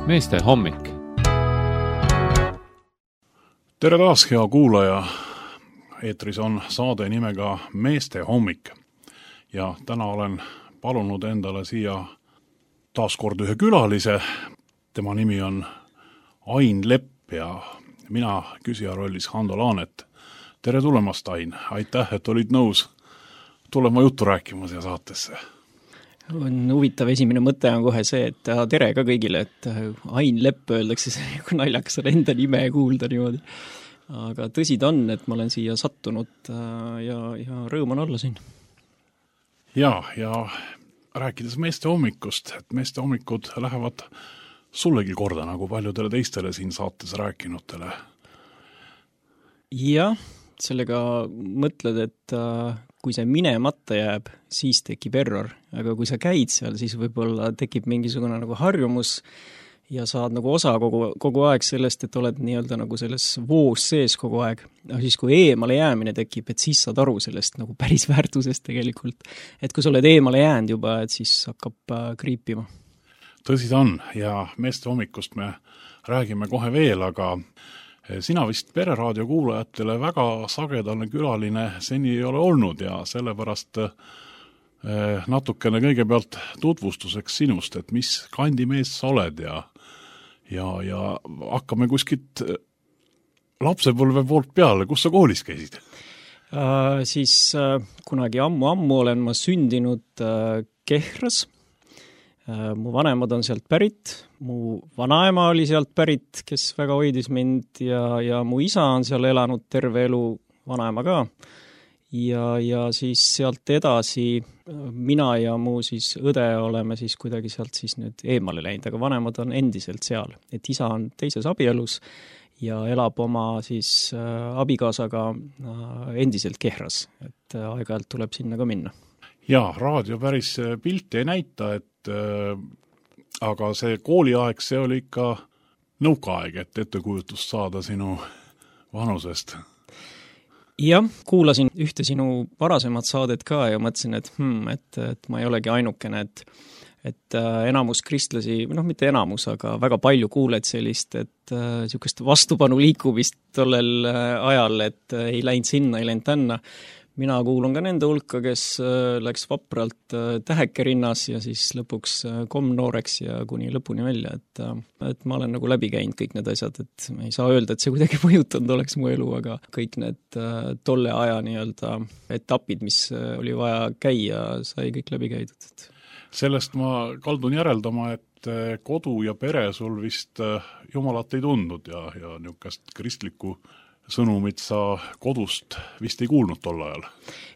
Meeste hommik. Tere taas, hea kuulaja. Eetris on saade nimega Meeste hommik. Ja täna olen palunud endale siia taaskord ühe külalise. Tema nimi on Ain Lepp ja mina küsija rollis Hando Laanet. Tere tulemast, Ain. Aitäh, et olid nõus tulema juttu rääkima siia saatesse. On huvitav, esimene mõte on kohe see, et tere ka kõigile, et Ain Lepp öeldakse, kui naljakas on enda nime kuulda niimoodi. Aga tõsi ta on, et ma olen siia sattunud ja rõõm on olla siin. Ja rääkides meeste hommikust, et meeste hommikud lähevad sullegi korda nagu paljudele teistele siin saates rääkinutele. Jah, sellega mõtled, et kui see minemata jääb, siis tekib error, aga kui sa käid seal, siis võib-olla tekib mingisugune nagu harjumus ja saad nagu osa kogu aeg sellest, et oled nii-öelda nagu selles voos sees kogu aeg. Aga siis, kui eemale jäämine tekib, et siis saad aru sellest nagu päris väärtusest tegelikult. Et kui sa oled eemale jäänud juba, et siis hakkab kriipima. Tõsi ta on ja meeste hommikust me räägime kohe veel, aga sina vist Pereraadio kuulajatele väga sagedane külaline seni ei ole olnud ja sellepärast natukene kõigepealt tutvustuseks sinust, et mis kandimees sa oled ja hakkame kuskilt lapsepõlve poolt peale, kus sa koolis käisid? Siis kunagi ammu olen ma sündinud Kehras. Mu vanemad on sealt pärit, mu vanaema oli sealt pärit, kes väga hoidis mind ja mu isa on seal elanud terve elu, vanaema ka. Ja siis sealt edasi mina ja mu siis õde oleme siis kuidagi sealt siis nüüd eemale läinud, aga vanemad on endiselt seal. Et isa on teises abielus ja elab oma siis abikaasaga endiselt Kehras, et aeg-ajalt tuleb sinna ka minna. Ja, raadio päris pilti ei näita, aga see kooliaeg, see oli ikka nõukaaeg, et ettekujutust saada sinu vanusest. Jah, kuulasin ühte sinu varasemat saadet ka ja mõtlesin, et ma ei olegi ainukene, et enamus kristlasi, mitte enamus, aga väga palju kuuled sellist, et niisugust vastupanu liikumist tollel ajal, et ei läinud sinna, ei läinud tänna. Mina kuulun ka nende hulka, kes läks vapralt täheke rinnas ja siis lõpuks komnooreks ja kuni lõpuni välja, et ma olen nagu läbi käinud kõik need asjad, et ma ei saa öelda, et see kuidagi mõjutanud oleks mu elu, aga kõik need tolle aja nii-öelda etapid, mis oli vaja käia, sai kõik läbi käidud. Sellest ma kaldun järeldama, et kodu ja pere sul vist jumalat ei tundnud ja niisugust kristlikku sõnumit sa kodust vist ei kuulnud tol ajal?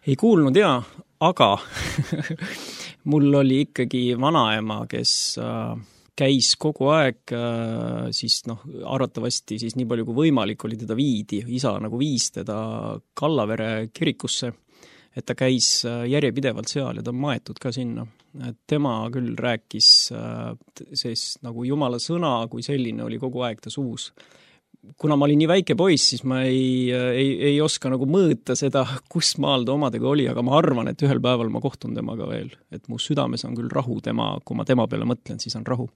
Ei kuulnud jaa, aga mul oli ikkagi vanaema, kes käis kogu aeg, siis arvatavasti siis nii palju kui võimalik oli teda viidi, isa nagu viis teda Kallavere kirikusse, et ta käis järjepidevalt seal ja ta on maetud ka sinna. Et tema küll rääkis, sest nagu Jumala sõna kui selline oli kogu aeg ta suus. Kuna ma olin nii väike poiss, siis ma ei oska nagu mõõta seda, kus maal ta omadega oli, aga ma arvan, et ühel päeval ma kohtun temaga veel. Et mu südames on küll rahu kui ma tema peale mõtlen, siis on rahu.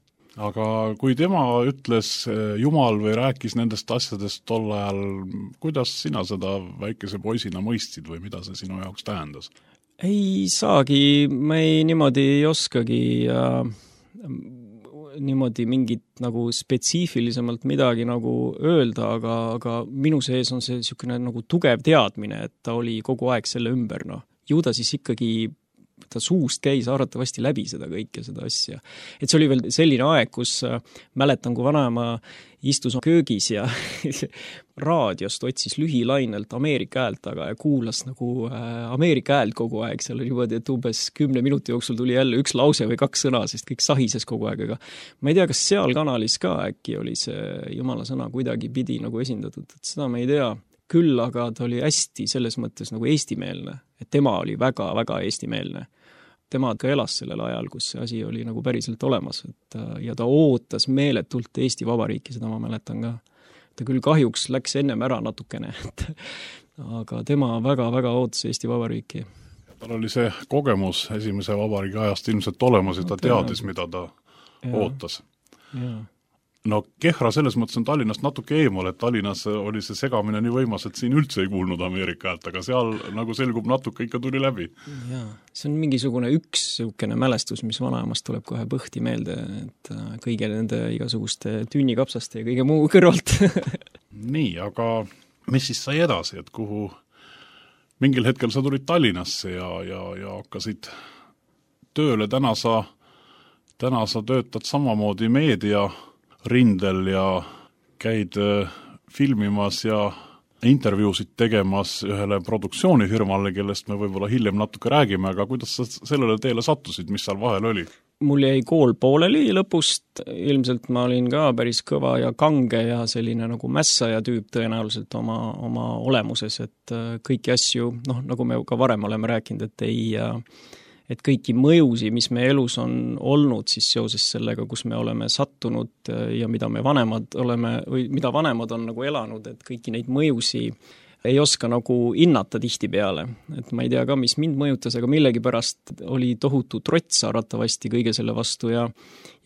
Aga kui tema ütles Jumal või rääkis nendest asjadest tol ajal, kuidas sina seda väikese poisina mõistsid või mida see sinu jaoks tähendas? Ei saagi, ma niimoodi ei oskagi niimoodi mingit nagu spetsiifilisemalt midagi nagu öelda, aga minu sees on see niisugune nagu tugev teadmine, et ta oli kogu aeg selle ümber. Ju ta siis ikkagi ta suust käis arvatavasti läbi seda kõike, seda asja. Et see oli veel selline aeg, kus mäletan, kui vanaema istus köögis ja raadiost otsis lühilainelt Ameerika häält taga ja kuulas nagu Ameerika häält kogu aeg. Seal oli niimoodi, et umbes 10 minuti jooksul tuli jälle üks lause või 2 sõna, sest kõik sahises kogu aeg, aga ma ei tea, kas seal kanalis ka äkki oli see Jumala sõna kuidagi pidi nagu esindatud, et seda ma ei tea. Küll aga ta oli hästi selles mõttes nagu eestimeelne, et tema oli väga-väga eestimeelne. Tema ka elas sellel ajal, kus see asi oli nagu päriselt olemas, ja ta ootas meeletult Eesti Vabariiki, seda ma mäletan ka. Ta küll kahjuks läks ennem ära natukene, aga tema väga-väga ootas Eesti Vabariiki. Tal oli see kogemus esimese vabariigi ajast ilmselt olemas ja ta teadis, mida ta ootas. No Kehra selles mõttes on Tallinnast natuke eemal, et Tallinnas oli see segamine nii võimas, et siin üldse ei kuulnud Ameerika häält, aga seal nagu selgub natuke ikka tuli läbi. Jaa, see on mingisugune üks niisugune mälestus, mis vanaemast tuleb kohe põhti meelde, et kõige nende igasuguste tünnikapsaste ja kõige muu kõrvalt. Nii, aga mis siis sai edasi, et kuhu mingil hetkel sa tulid Tallinnasse ja hakkasid tööle, täna sa töötad samamoodi meedia rindel ja käid filmimas ja intervjuusid tegemas ühele produktsioonifirmale, kellest me võib-olla hiljem natuke räägime, aga kuidas sa sellele teele sattusid, mis seal vahel oli? Mul jäi kool pooleli lõpust, ilmselt ma olin ka päris kõva ja kange ja selline nagu mässaja tüüp tõenäoliselt oma olemuses, et kõiki asju, nagu me ka varem oleme rääkinud, et kõiki mõjusi, mis me elus on olnud siis seoses sellega, kus me oleme sattunud ja mida vanemad on nagu elanud, et kõiki neid mõjusi ei oska nagu hinnata tihtipeale. Et ma ei tea ka, mis mind mõjutas, aga millegipärast oli tohutu trots arvatavasti kõige selle vastu ja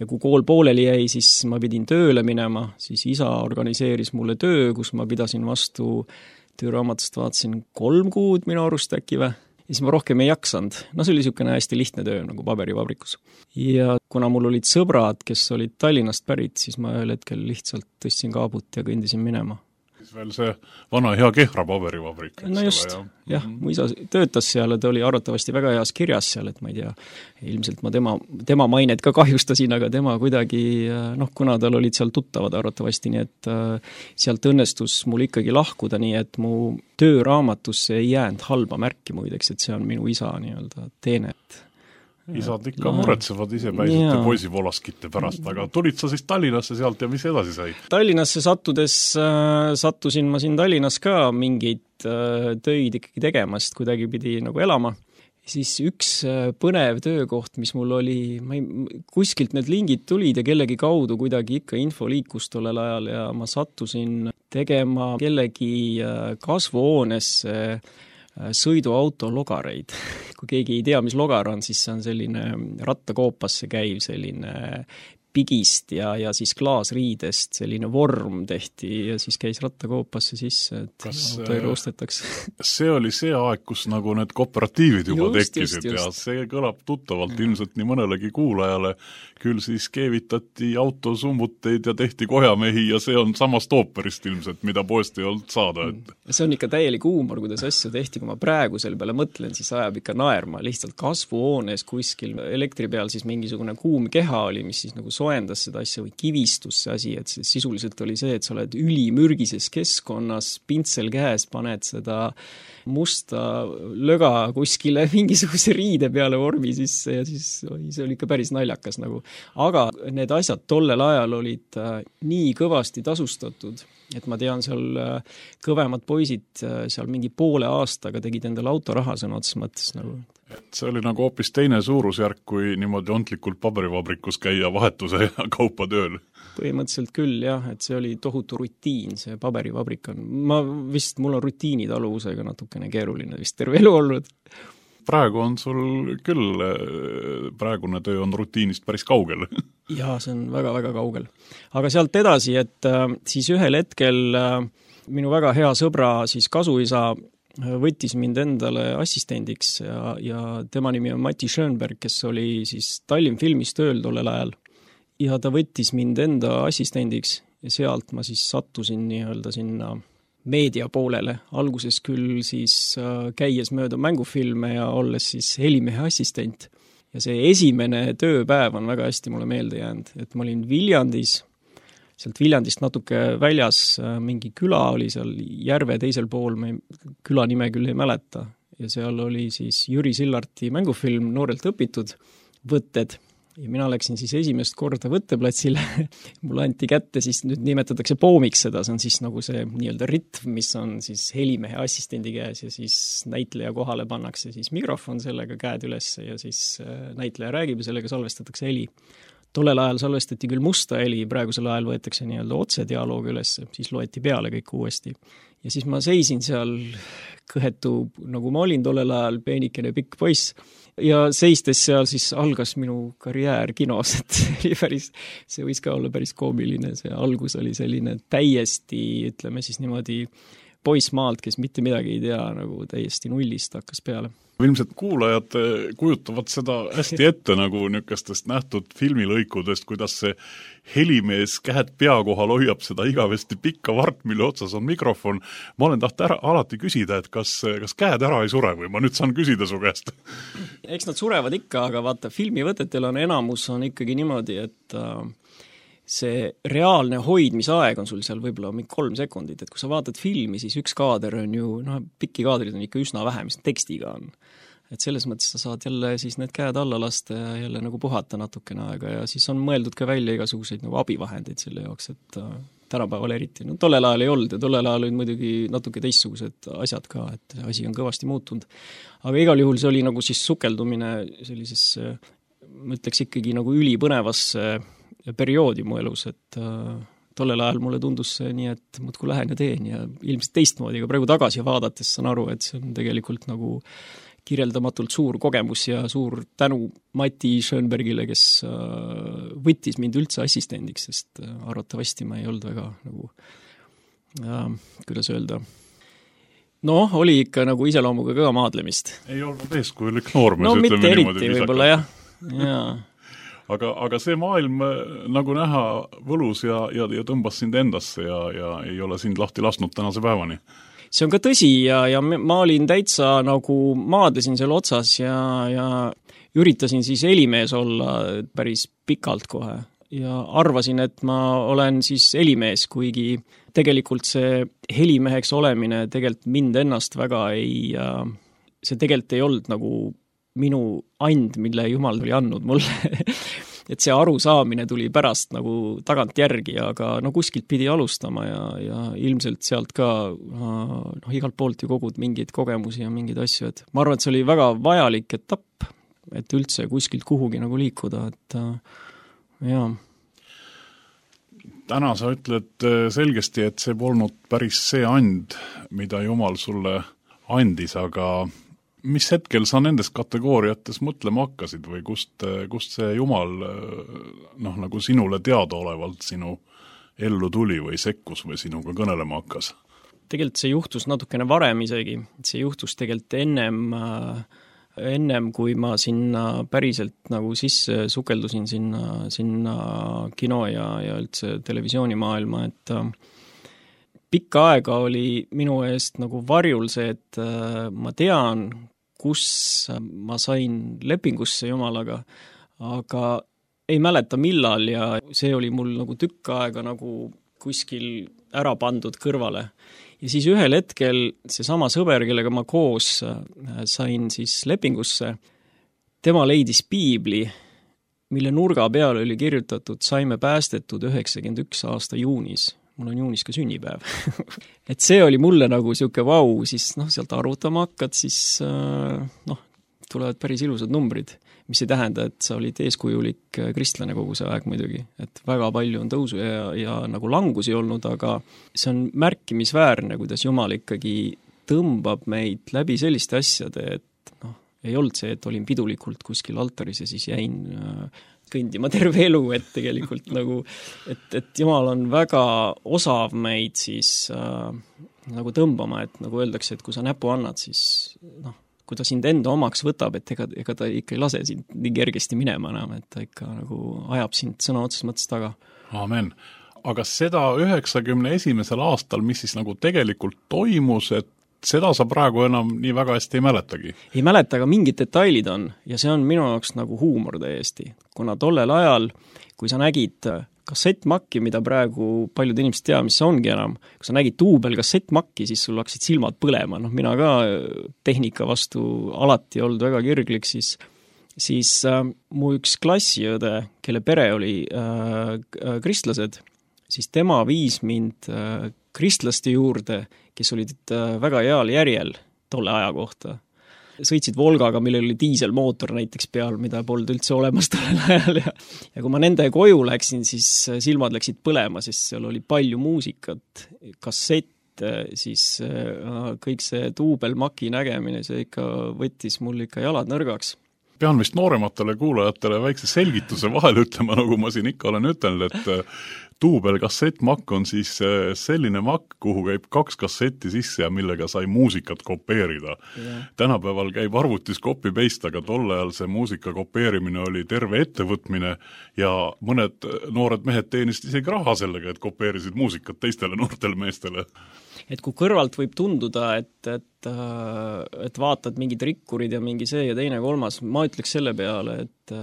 kui kool pooleli jäi, siis ma pidin tööle minema, siis isa organiseeris mulle töö, kus ma pidasin vastu tööraamatust vaatasin 3 kuud minu arust äkki või. Ja siis ma rohkem ei jaksanud. See oli niisugune hästi lihtne töö nagu paberivabrikus. Ja kuna mul olid sõbrad, kes olid Tallinnast pärit, siis ma ühel hetkel lihtsalt tõstsin kaabut ja kõndisin minema. Siis veel see vana hea Kehra paberivabrik. No just, jah, mu isa töötas seal ja ta oli arvatavasti väga heas kirjas seal, et ma ei tea, ilmselt ma tema mainet ka kahjustasin, aga tema kuidagi, kuna tal olid seal tuttavad arvatavasti, nii et sealt õnnestus mul ikkagi lahkuda, nii et mu tööraamatusse ei jäänud halba märki muideks, et see on minu isa nii-öelda teenet. Isad ikka muretsevad ise päisete poisivolaskite pärast, aga tulid sa siis Tallinnasse sealt ja mis edasi sai? Tallinnasse sattusin ma siin Tallinnas ka mingeid töid ikkagi tegema, sest kuidagi pidi nagu elama. Siis üks põnev töökoht, mis mul oli, kuskilt need lingid tulid ja kellegi kaudu kuidagi ikka info liikus tollel ajal ja ma sattusin tegema kellegi kasvuhoonesse sõiduauto logareid. Kui keegi ei tea, mis logar on, siis see on selline rattakoopasse käiv selline pigist ja siis klaasriidest selline vorm tehti ja siis käis rattakoopasse sisse, et autoilu ostetakse. See oli see aeg, kus nagu need kooperatiivid juba tekkisid ja see kõlab tuttavalt ilmselt nii mõnelegi kuulajale. Küll siis keevitati autosummuteid ja tehti kojamehi ja see on samast ooperist ilmselt, mida poest ei olnud saada. See on ikka täielik huumor, kuidas asju tehti, kui ma praegu selle peale mõtlen, siis ajab ikka naerma. Lihtsalt kasvuhoones kuskil elektri peal siis mingisugune kuum keha oli, mis siis nagu soendas seda asja või kivistus see asi, et see sisuliselt oli see, et sa oled ülimürgises keskkonnas, pintsel käes, paned seda musta löga kuskile mingisuguse riide peale vormi sisse ja siis see oli ikka päris naljakas nagu. Aga need asjad tollel ajal olid nii kõvasti tasustatud, et ma tean seal kõvemad poisid seal mingi poole aastaga tegid endale autoraha sõna otses mõttes nagu. Et see oli nagu hoopis teine suurusjärk, kui niimoodi ontlikult paberivabrikus käia vahetuse ja kaupa tööl. Põhimõtteliselt küll, jah, et see oli tohutu rutiin, see paberivabrik on. Mul on rutiinitaluvusega natukene keeruline vist terve elu olnud. Praegu on sul küll, praegune töö on rutiinist päris kaugel. Jaa, see on väga-väga kaugel. Aga sealt edasi, et siis ühel hetkel minu väga hea sõbra siis kasuisa võttis mind endale assistendiks ja tema nimi on Mati Schönberg, kes oli siis Tallinn filmis tööl tollel ajal. Ja ta võttis mind enda assistendiks ja sealt ma siis sattusin nii-öelda sinna meedia poolele. Alguses küll siis käies mööda mängufilme ja olles siis helimehe assistent. Ja see esimene tööpäev on väga hästi mulle meelde jäänud, et ma olin Viljandis, sealt Viljandist natuke väljas mingi küla oli seal järve teisel pool, me küla nime küll ei mäleta ja seal oli siis Jüri Sillarti mängufilm Noorelt õpitud võtted ja mina läksin siis esimest korda võtteplatsile. Mulle anti kätte, siis nüüd nimetatakse poomiks seda, see on siis nagu see nii-öelda ritm, mis on siis helimehe assistendi käes ja siis näitleja kohale pannakse siis mikrofon sellega käed üles ja siis näitleja räägib ja sellega salvestatakse heli. Tollel ajal salvestati küll musta heli, praegusel ajal võetakse nii-öelda otse dialoog üles, siis loeti peale kõik uuesti. Ja siis ma seisin seal kõhetu, nagu ma olin tollel ajal, peenikene pikk poiss ja seistes seal siis algas minu karjäär kinos, et see võis ka olla päris koomiline, see algus oli selline täiesti, ütleme siis niimoodi, poissmaalt, kes mitte midagi ei tea, nagu täiesti nullist hakkas peale. Ilmselt kuulajad kujutavad seda hästi ette nagu niisugustest nähtud filmilõikudest, kuidas see helimees käed pea kohal hoiab seda igavesti pikka vart, mille otsas on mikrofon. Ma olen alati küsida, et kas käed ära ei sure või ma nüüd saan küsida su käest? Eks nad surevad ikka, aga vaata, filmivõtetel on enamus on ikkagi niimoodi, et see reaalne hoidmisaeg on sul seal võib-olla mingi 3 sekundit, et kui sa vaatad filmi, siis üks kaader on ju, pikki kaadrid on ikka üsna vähe, mis tekstiga on. Et selles mõttes sa saad jälle siis need käed alla lasta ja jälle nagu puhata natukene aega ja siis on mõeldud ka välja igasuguseid nagu abivahendeid selle jaoks, et tänapäeval eriti. No tollel ajal ei olnud ja tollel ajal olid muidugi natuke teistsugused asjad ka, et asi on kõvasti muutunud. Aga igal juhul see oli nagu siis sukeldumine sellisesse, ma ütleks ikkagi nagu ülipõnevasse perioodi mu elus, et tollel ajal mulle tundus see nii, et muudkui lähen ja teen ja ilmselt teistmoodi, aga praegu tagasi vaadates saan aru, et see on tegelikult nagu kirjeldamatult suur kogemus ja suur tänu Mati Schönbergile, kes võttis mind üldse assistendiks, sest arvatavasti ma ei olnud väga nagu, kuidas öelda, oli ikka nagu iseloomuga ka maadlemist. Ei olnud eeskujulik noormees, no mitte eriti võib-olla jah. Aga see maailm nagu näha võlus ja tõmbas sind endasse ja ei ole sind lahti lasknud tänase päevani. See on ka tõsi ja ma olin täitsa nagu maadlesin seal otsas ja üritasin siis helimees olla päris pikalt kohe ja arvasin, et ma olen siis helimees, kuigi tegelikult see helimeheks olemine tegelikult mind ennast väga see tegelikult ei olnud nagu minu and, mille Jumal oli andnud mulle. Et see arusaamine tuli pärast nagu tagant järgi, aga kuskilt pidi alustama ja ilmselt sealt ka igalt poolt ju kogud mingeid kogemusi ja mingeid asju, et ma arvan, et see oli väga vajalik etapp, et üldse kuskilt kuhugi nagu liikuda, et jaa. Täna sa ütled selgesti, et see polnud päris see and, mida Jumal sulle andis, aga mis hetkel sa nendes kategooriates mõtlema hakkasid või kust see Jumal nagu sinule teadaolevalt sinu ellu tuli või sekkus või sinuga kõnelema hakkas? Tegelikult see juhtus natukene varem isegi. See juhtus tegelikult ennem kui ma sinna päriselt nagu sisse sukeldusin sinna kino ja üldse televisioonimaailma, et pikka aega oli minu eest nagu varjul see, et ma tean, kus ma sain lepingusse Jumalaga, aga ei mäleta millal ja see oli mul nagu tükk aega nagu kuskil ära pandud kõrvale. Ja siis ühel hetkel seesama sõber, kellega ma koos sain siis lepingusse, tema leidis piibli, mille nurga peal oli kirjutatud saime päästetud 91 aasta juunis. Mul on juunis ka sünnipäev. Et see oli mulle nagu siuke vau, siis sealt arvutama hakkad, siis tulevad päris ilusad numbrid, mis ei tähenda, et sa olid eeskujulik kristlane kogu see aeg muidugi. Et väga palju on tõusu ja nagu langusi olnud, aga see on märkimisväärne, kuidas Jumal ikkagi tõmbab meid läbi selliste asjade, et ei olnud see, et olin pidulikult kuskil altaris ja siis jäin kõndima terve elu, et tegelikult nagu, et Jumal on väga osav meid siis nagu tõmbama, et nagu öeldakse, et kui sa näpu annad, siis kui ta sind enda omaks võtab, et ega ta ikka ei lase sind nii kergesti minema enam, et ta ikka nagu ajab sind sõna otseses mõttes taga. Aamen. Aga seda 91. aastal, mis siis nagu tegelikult toimus, et seda sa praegu enam nii väga hästi ei mäletagi? Ei mäleta, aga mingid detailid on ja see on minu jaoks nagu huumor täiesti. Kuna tollel ajal, kui sa nägid kassettmakki, mida praegu paljud inimesed tea, mis see ongi enam, kui sa nägid duubel kassettmakki, siis sul hakkasid silmad põlema. Mina ka tehnika vastu alati olnud väga kirglik, siis mu üks klassiõde, kelle pere oli kristlased, siis tema viis mind kristlaste juurde, kes olid väga heal järjel tolle aja kohta. Sõitsid Volgaga, millel oli diiselmootor näiteks peal, mida polnud üldse olemas tollel ajal. Ja kui ma nende koju läksin, siis silmad läksid põlema, sest seal oli palju muusikat, kassett, siis kõik see duubelmaki nägemine, see ikka võttis mul ikka jalad nõrgaks. pean vist noorematele kuulajatele väikse selgituse vahel ütlema, nagu ma siin ikka olen ütelnud, et duubel kassettmakk on siis selline makk, kuhu käib 2 kassetti sisse ja millega sai muusikat kopeerida. Tänapäeval käib arvutis copy-paste, aga tol ajal see muusika kopeerimine oli terve ettevõtmine ja mõned noored mehed teenisid isegi raha sellega, et kopeerisid muusikat teistele noortele meestele. Et kui kõrvalt võib tunduda, et vaatad mingid rikkurid ja mingi see ja teine kolmas, ma ütleks selle peale, et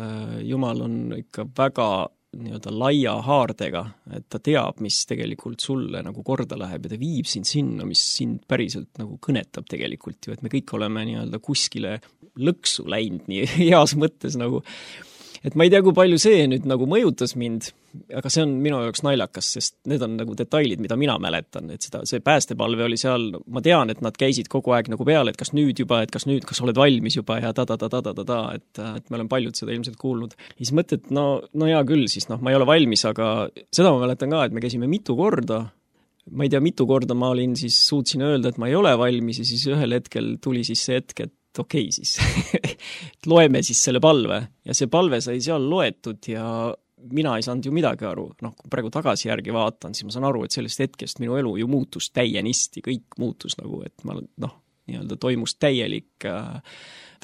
Jumal on ikka väga nii-öelda laia haardega, et ta teab, mis tegelikult sulle nagu korda läheb ja ta viib sind sinna, mis sind päriselt nagu kõnetab tegelikult ju, et me kõik oleme nii-öelda kuskile lõksu läinud nii heas mõttes nagu, et ma ei tea, kui palju see nüüd nagu mõjutas mind, aga see on minu jaoks naljakas, sest need on nagu detailid, mida mina mäletan, et see päästepalve oli seal, ma tean, et nad käisid kogu aeg nagu peale, et kas nüüd juba, et kas oled valmis juba ja et me oleme paljud seda ilmselt kuulnud. Ja siis mõtled, no hea küll, siis ma ei ole valmis, aga seda ma mäletan ka, et me käisime mitu korda, ma ei tea, mitu korda ma suutsin öelda, et ma ei ole valmis ja siis ühel hetkel tuli siis see hetk, et okei siis, loeme siis selle palve ja see palve sai seal loetud ja mina ei saanud ju midagi aru, kui praegu tagasi järgi vaatan, siis ma saan aru, et sellest hetkest minu elu ju muutus täienisti, kõik muutus nagu, et ma nii-öelda toimus täielik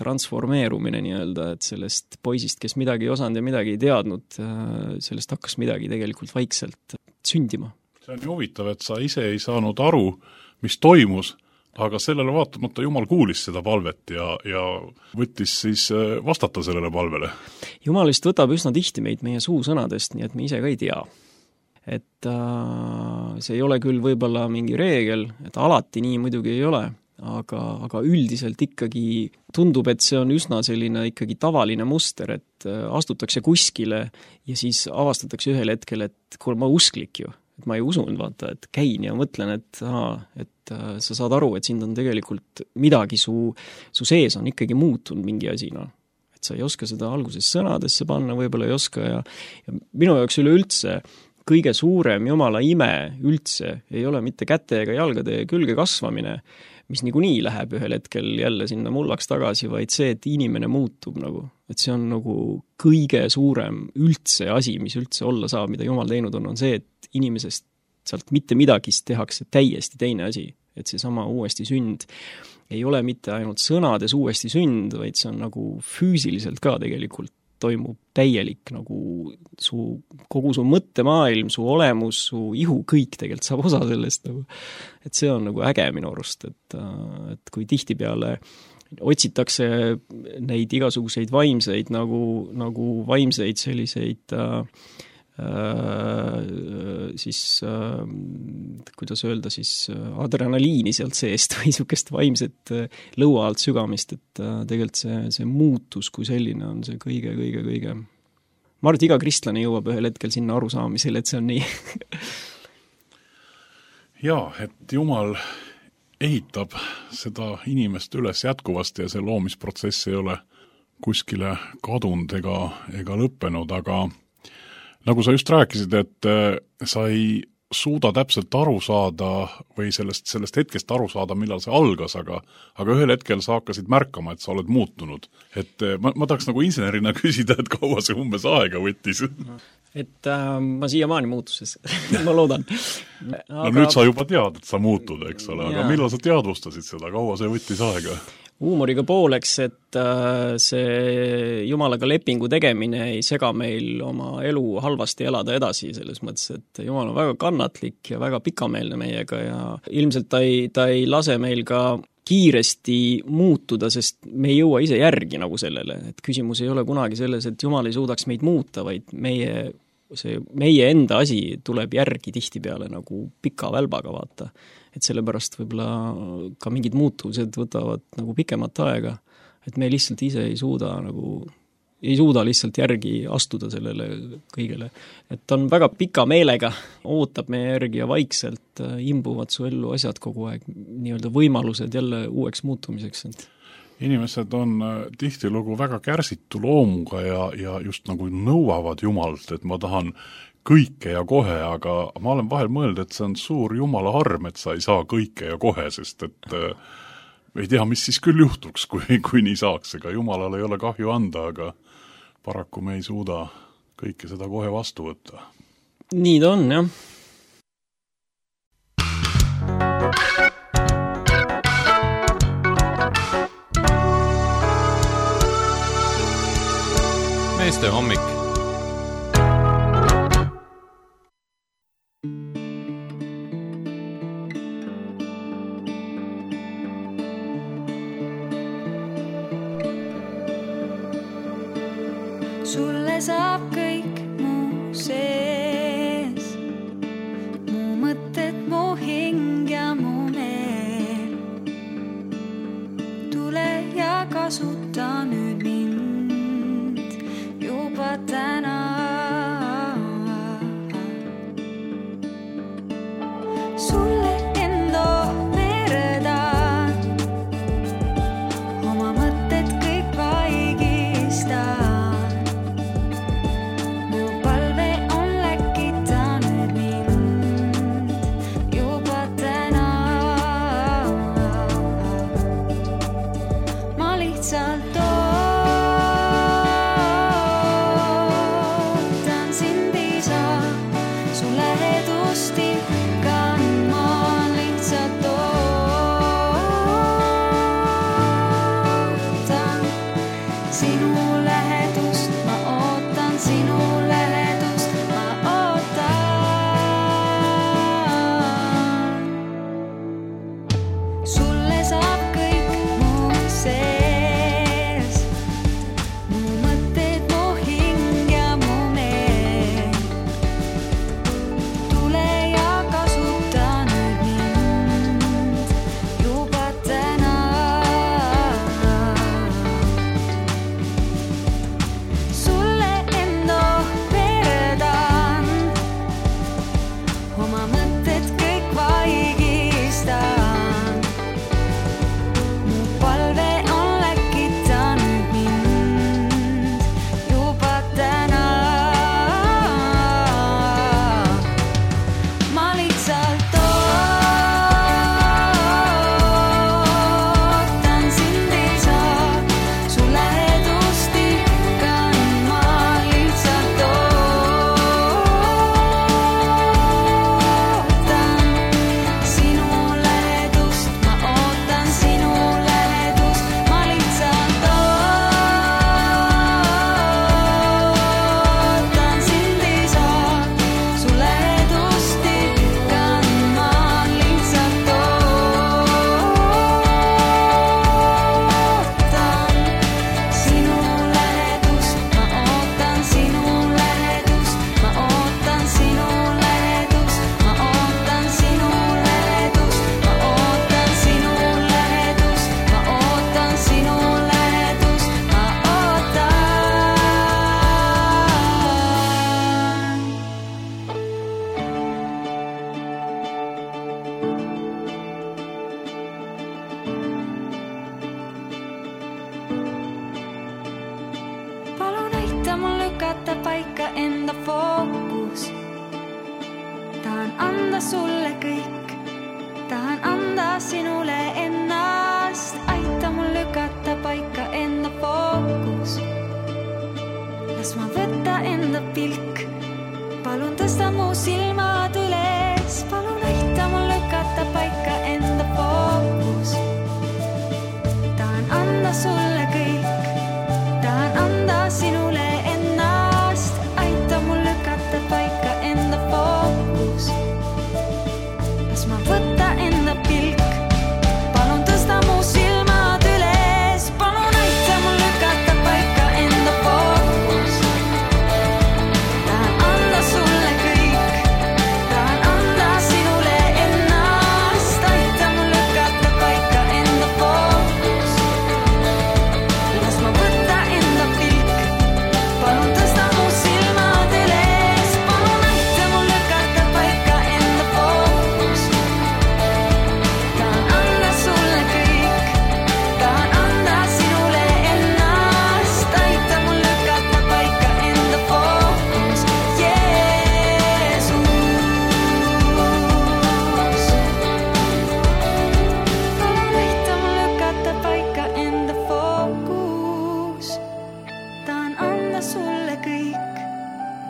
transformeerumine nii-öelda, et sellest poisist, kes midagi ei osanud ja midagi ei teadnud, sellest hakkas midagi tegelikult vaikselt sündima. See on ju huvitav, et sa ise ei saanud aru, mis toimus, aga sellele vaatamata Jumal kuulis seda palvet ja võttis siis vastata sellele palvele. Jumal vist võtab üsna tihti meid meie suusõnadest, nii et me ise ka ei tea. Et see ei ole küll võib-olla mingi reegel, et alati nii muidugi ei ole, aga üldiselt ikkagi tundub, et see on üsna selline ikkagi tavaline muster, et astutakse kuskile ja siis avastatakse ühel hetkel, et kuule, ma usklik ju. Et ma ei usunud, vaata, et käin ja mõtlen, et sa saad aru, et sind on tegelikult midagi su sees on ikkagi muutunud mingi asi, Et sa ei oska seda alguses sõnadesse panna, võib-olla ei oska ja minu jaoks üleüldse kõige suurem Jumala ime üldse ei ole mitte käte ega jalgade külge kasvamine, mis niikuinii läheb ühel hetkel jälle sinna mullaks tagasi, vaid see, et inimene muutub nagu. Et see on nagu kõige suurem üldse asi, mis üldse olla saab, mida Jumal teinud on see, et inimesest sealt mitte midagist tehakse täiesti teine asi. Et see sama uuesti sünd ei ole mitte ainult sõnades uuesti sünd, vaid see on nagu füüsiliselt ka tegelikult toimub täielik nagu kogu su mõttemaailm, su olemus, su ihu, kõik tegelikult saab osa sellest nagu. Et see on nagu äge minu arust, et kui tihtipeale otsitakse neid igasuguseid vaimseid nagu vaimseid selliseid siis kuidas öelda siis adrenaliini sealt seest või niisugust vaimset lõua alt sügamist, et tegelikult see muutus kui selline on see kõige ma arvan, et iga kristlane jõuab ühel hetkel sinna arusaamisele, et see on nii. Jaa, et Jumal ehitab seda inimest üles jätkuvasti ja see loomisprotsess ei ole kuskile kadunud ega lõppenud, aga nagu sa just rääkisid, et sa ei suuda täpselt aru saada või sellest hetkest aru saada, millal see algas, aga ühel hetkel sa hakkasid märkama, et sa oled muutunud. Et ma tahaks nagu insenerina küsida, et kaua see umbes aega võttis? Et ma siiamaani muutuses, ma loodan. No nüüd sa juba tead, et sa muutud, eks ole, aga millal sa teadvustasid seda, kaua see võttis aega? Huumoriga pooleks, et see Jumalaga lepingu tegemine ei sega meil oma elu halvasti elada edasi, selles mõttes, et Jumal on väga kannatlik ja väga pikameelne meiega ja ilmselt ta ei lase meil ka kiiresti muutuda, sest me ei jõua ise järgi nagu sellele, et küsimus ei ole kunagi selles, et Jumal ei suudaks meid muuta, vaid meie enda asi tuleb järgi tihtipeale nagu pika välbaga vaata. Et sellepärast võib-olla ka mingid muutused võtavad nagu pikemat aega, et me lihtsalt ise ei suuda lihtsalt järgi astuda sellele kõigele. Et ta on väga pika meelega, ootab meie järgi ja vaikselt imbuvad su ellu asjad kogu aeg, nii-öelda võimalused jälle uueks muutumiseks. Inimesed on tihtilugu väga kärsitu loomuga ja just nagu nõuavad Jumalt, et ma tahan kõike ja kohe, aga ma olen vahel mõelnud, et see on suur Jumala arm, et sa ei saa kõike ja kohe, sest et ei tea, mis siis küll juhtuks, kui nii saaks, ega jumalale ei ole kahju anda, aga paraku me ei suuda kõike seda kohe vastu võtta. Nii ta on, jah. Meeste hommik. Sulle saab kõik mu sees, mu mõtted, mu hing ja mu meel. Tule ja kasuta nüüd mind juba täna. Sulle enda veredan, oma mõtted kõik vaigistan. Sulle kõik, tahan anda sinule ennast, aita mul lükata paika enda fookus. Las ma võtta enda pilk, palun tõsta mu silmad üles, palun aita mul lükata paika enda fookus. Tahan anda sulle kõik, tahan anda sinule ennast, aita mul lükata paika enda fookus. Ma võtta enda pilk, palun tõsta mu silmad üles, palun aita mul lükata paika enda fookus. Tahan anda sulle kõik, tahan anda sinule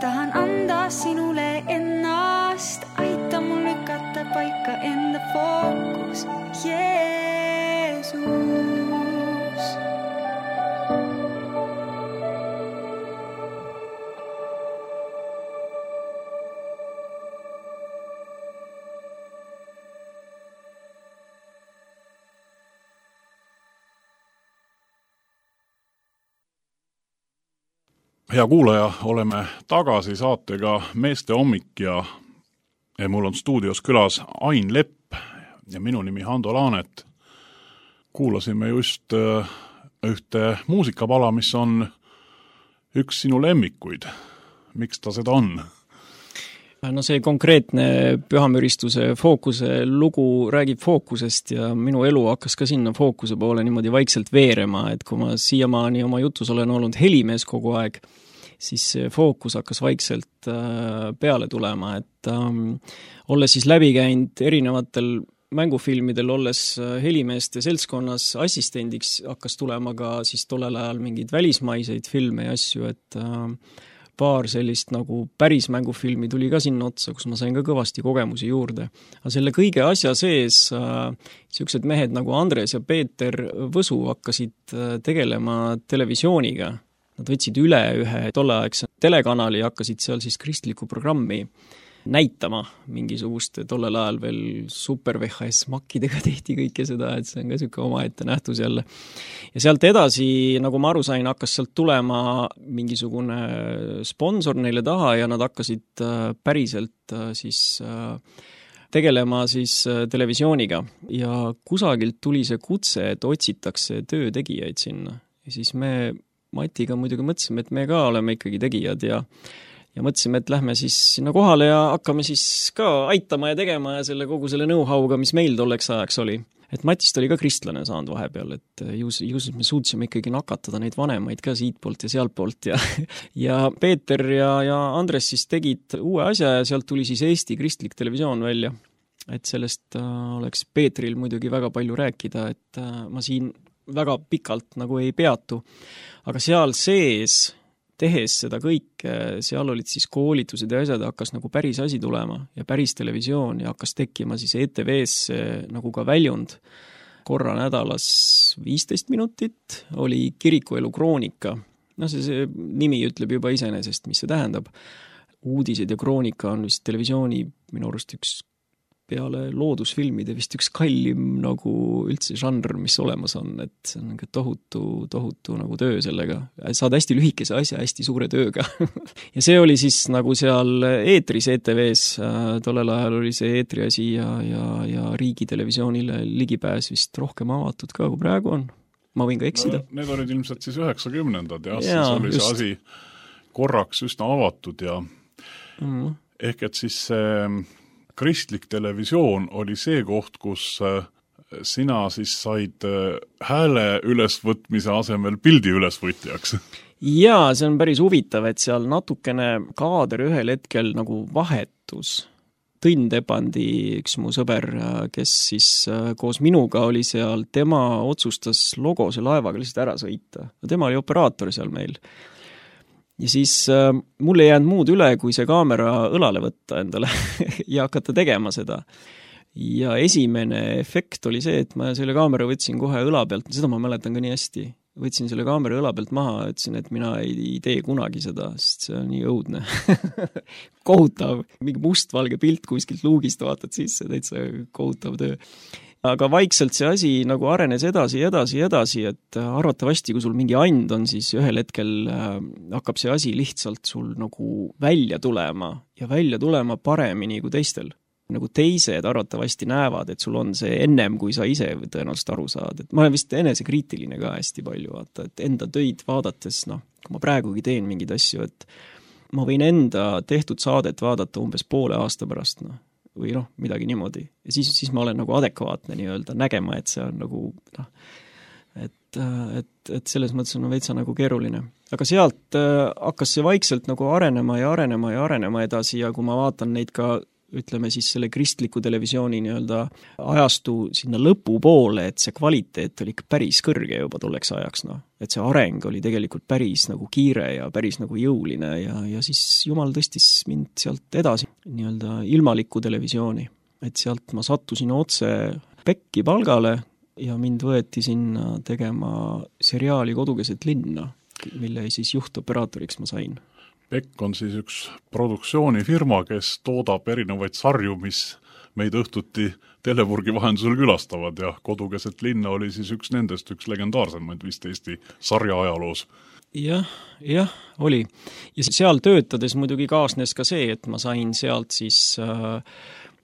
tahan anda sinule ennast, aita mul lükata paika enda fookus, Jeesus. Hea kuulaja, oleme tagasi saatega Meeste hommik ja mul on stuudios külas Ain Lepp ja minu nimi Hando Laanet. Kuulasime just ühte muusikapala, mis on üks sinu lemmikuid. Miks ta seda on? No see konkreetne Pühamüristuse Fookuse lugu räägib fookusest ja minu elu hakkas ka sinna fookuse poole niimoodi vaikselt veerema, et kui ma siiamaani oma jutus olen olnud helimees kogu aeg, siis see fookus hakkas vaikselt peale tulema, et olles siis läbi käinud erinevatel mängufilmidel, olles helimeeste seltskonnas assistendiks, hakkas tulema ka siis tollel ajal mingeid välismaiseid filme ja asju, et paar sellist nagu päris mängufilmi tuli ka sinna otsa, kus ma sain ka kõvasti kogemusi juurde. Aga selle kõige asja sees siuksed mehed nagu Andres ja Peeter Võsu hakkasid tegelema televisiooniga. Nad võtsid üle ühe tolleaegse telekanali ja hakkasid seal siis kristlikku programmi näitama mingisugust, tollel ajal veel super VHS makkidega tehti kõike seda, et see on ka siuke omaette nähtus jälle. Ja sealt edasi, nagu ma aru sain, hakkas sealt tulema mingisugune sponsor neile taha ja nad hakkasid päriselt siis tegelema siis televisiooniga. Ja kusagilt tuli see kutse, et otsitakse töötegijaid sinna. Ja siis me Matiga muidugi mõtlesime, et me ka oleme ikkagi tegijad ja mõtlesime, et lähme siis sinna kohale ja hakkame siis ka aitama ja tegema ja selle kogu selle know-how'ga, mis meil tolleks ajaks oli. Et Matist oli ka kristlane saanud vahepeal, et just me suutsime ikkagi nakatada neid vanemaid ka siit poolt ja sealt poolt ja Peeter ja Andres siis tegid uue asja ja sealt tuli siis Eesti kristlik televisioon välja. Et sellest oleks Peetril muidugi väga palju rääkida, et ma siin väga pikalt nagu ei peatu. Aga seal sees tehes seda kõike, seal olid siis koolitused ja asjad, hakkas nagu päris asi tulema ja päris televisioon ja hakkas tekkima siis ETV-s nagu ka väljund. Korra nädalas 15 minutit oli kirikuelu kroonika. No see nimi ütleb juba iseenesest, mis see tähendab. Uudised ja kroonika on vist televisiooni minu arust üks peale loodusfilmide vist üks kallim nagu üldse žanr, mis olemas on, et see on tohutu nagu töö sellega. Saad hästi lühikese asja hästi suure tööga. Ja see oli siis nagu seal eetris ETV-s, tollel ajal oli see eetriasi ja riigitelevisioonile ligipääs vist rohkem avatud ka, kui praegu on. Ma võin ka eksida. No, need olid ilmselt siis 90-ndad ja siis oli see asi korraks üsna avatud ja ehk et siis kristlik televisioon oli see koht, kus sina siis said hääle ülesvõtmise asemel pildi ülesvõtjaks. Jaa, see on päris huvitav, et seal natukene kaader ühel hetkel nagu vahetus. Tõnn Tepandi, üks mu sõber, kes siis koos minuga oli seal, tema otsustas logose laevaga lihtsalt ära sõita. Tema oli operaator seal meil. Ja siis mul ei jäänud muud üle, kui see kaamera õlale võtta endale ja hakata tegema seda. Ja esimene efekt oli see, et ma selle kaamera võtsin kohe õla pealt, seda ma mäletan ka nii hästi. Võtsin selle kaamera õla pealt maha, ütlesin, et mina ei tee kunagi seda, sest see on nii õudne. Kohutav, mingi mustvalge pilt kuskilt luugist vaatad sisse, täitsa kohutav töö. Aga vaikselt see asi nagu arenes edasi, et arvatavasti, kui sul mingi and on, siis ühel hetkel hakkab see asi lihtsalt sul nagu välja tulema ja välja tulema paremini kui teistel. Nagu teised arvatavasti näevad, et sul on see ennem, kui sa ise tõenäoliselt aru saad. Et ma olen vist enesekriitiline ka hästi palju, vaata, et enda töid vaadates, kui ma praegugi teen mingeid asju, et ma võin enda tehtud saadet vaadata umbes poole aasta pärast, või midagi niimoodi. Ja siis ma olen nagu adekvaatne nii-öelda nägema, et see on nagu, et selles mõttes on veitsa nagu keeruline. Aga sealt hakkas see vaikselt nagu arenema edasi ja kui ma vaatan neid ka ütleme siis selle kristliku televisiooni nii-öelda ajastu sinna lõpupoole, et see kvaliteet oli ikka päris kõrge juba tolleks ajaks, noh. Et see areng oli tegelikult päris nagu kiire ja päris nagu jõuline ja siis Jumal tõstis mind sealt edasi nii-öelda ilmalikku televisiooni. Et sealt ma sattusin otse Pekki palgale ja mind võeti sinna tegema seriaali Kodukeset linna, mille siis juhtoperaatoriks ma sain. Pekk on siis üks produktsioonifirma, kes toodab erinevaid sarju, mis meid õhtuti Telepurgi vahendusel külastavad ja Kodukeset linna oli siis üks nendest, üks legendaarsemaid vist Eesti sarja ajaloos. Jah, oli. Ja seal töötades muidugi kaasnes ka see, et ma sain sealt siis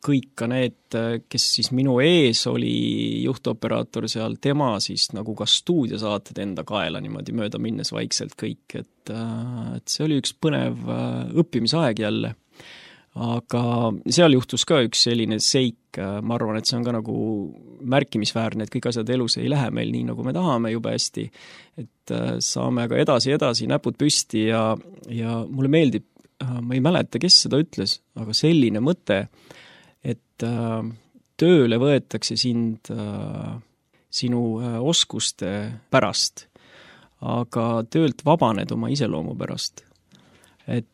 kõik ka need, kes siis minu ees oli juhtoperaator seal, tema siis nagu ka stuudiosaated enda kaela niimoodi mööda minnes vaikselt kõik, et see oli üks põnev õppimisaeg jälle. Aga seal juhtus ka üks selline seik, ma arvan, et see on ka nagu märkimisväärne, et kõik asjad elus ei lähe meil nii, nagu me tahame jube hästi, et saame aga edasi, näpud püsti ja mulle meeldib, ma ei mäleta, kes seda ütles, aga selline mõte, et tööle võetakse sind sinu oskuste pärast, aga töölt vabaned oma iseloomu pärast. Et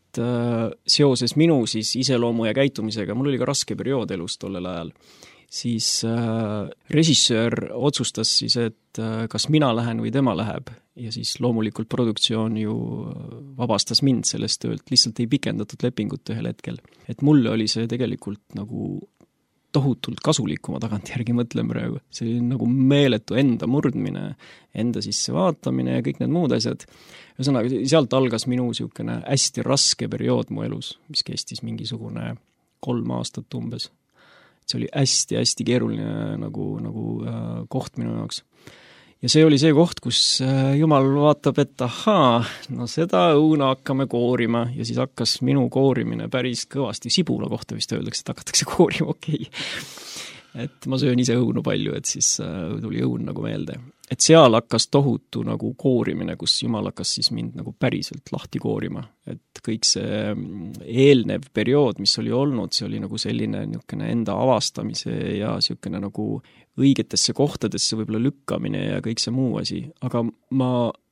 seoses minu siis iseloomu ja käitumisega, mul oli ka raske periood elus tollel ajal, siis režissöör otsustas siis, et kas mina lähen või tema läheb ja siis loomulikult produktsioon ju vabastas mind sellest töölt, lihtsalt ei pikendatud lepingut ühel hetkel. Et mulle oli see tegelikult nagu tohutult kasulik, kui ma tagantjärgi mõtlen praegu. See oli nagu meeletu enda murdmine, enda sisse vaatamine ja kõik need muud asjad. Ühesõnaga, sealt algas minu niisugune hästi raske periood mu elus, mis kestis mingisugune 3 aastat umbes. See oli hästi keeruline nagu koht minu jaoks. Ja see oli see koht, kus Jumal vaatab, et ahaa, no seda õuna hakkame koorima ja siis hakkas minu koorimine päris kõvasti, sibula kohta vist öeldakse, et hakatakse koorima, okei. Et ma söön ise õunu palju, et siis tuli õun nagu meelde. Et seal hakkas tohutu nagu koorimine, kus Jumal hakkas siis mind nagu päriselt lahti koorima. Et kõik see eelnev periood, mis oli olnud, see oli nagu selline niisugune enda avastamise ja niisugune nagu õigetesse kohtadesse võib-olla lükkamine ja kõik see muu asi. Aga ma,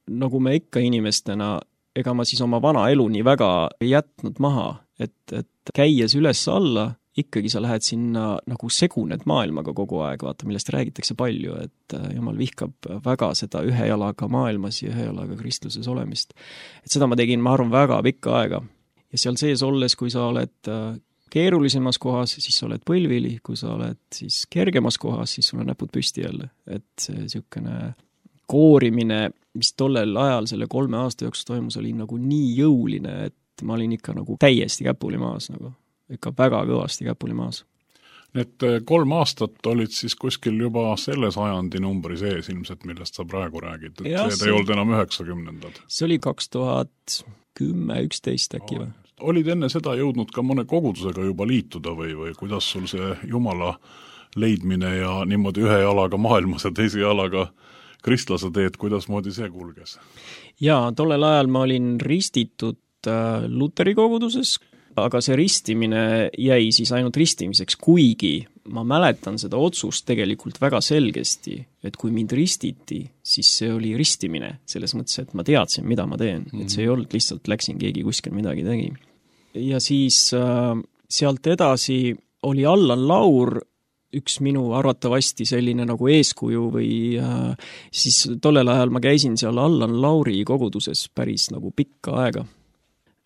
nagu me ikka inimestena, ega ma siis oma vana elu nii väga ei jätnud maha, et käies üles alla, ikkagi sa lähed sinna nagu seguned maailmaga kogu aeg, vaata, millest räägitakse palju, et Jumal vihkab väga seda ühe jalaga maailmas ja ühe jalaga kristluses olemist. Et seda ma tegin, ma arvan, väga pikka aega. Ja seal sees olles, kui sa oled keerulisemas kohas, siis sa oled põlvili, kui sa oled siis kergemas kohas, siis sul on näpud püsti jälle. Et see niisugune koorimine, mis tollel ajal selle 3 aasta jooksul toimus, oli nagu nii jõuline, et ma olin ikka nagu täiesti käpuli maas nagu. Ikka väga kõvasti käpuli maas. Need 3 aastat olid siis kuskil juba selle sajandi numbri sees ilmselt, millest sa praegu räägid, et ja, see ei olnud enam 90-ndad. See oli 2010-11 äkki või? Olid enne seda jõudnud ka mõne kogudusega juba liituda või kuidas sul see Jumala leidmine ja niimoodi ühe jalaga maailmas ja teise jalaga kristlase teed, kuidas moodi see kulges? Jaa, tollel ajal ma olin ristitud Luteri koguduses, aga see ristimine jäi siis ainult ristimiseks, kuigi ma mäletan seda otsust tegelikult väga selgesti, et kui mind ristiti, siis see oli ristimine, selles mõttes, et ma teadsin, mida ma teen, et see ei olnud lihtsalt läksin keegi kuskil midagi tegi. Ja siis sealt edasi oli Allan Laur, üks minu arvatavasti selline nagu eeskuju või siis tollel ajal ma käisin seal Allan Lauri koguduses päris nagu pikka aega.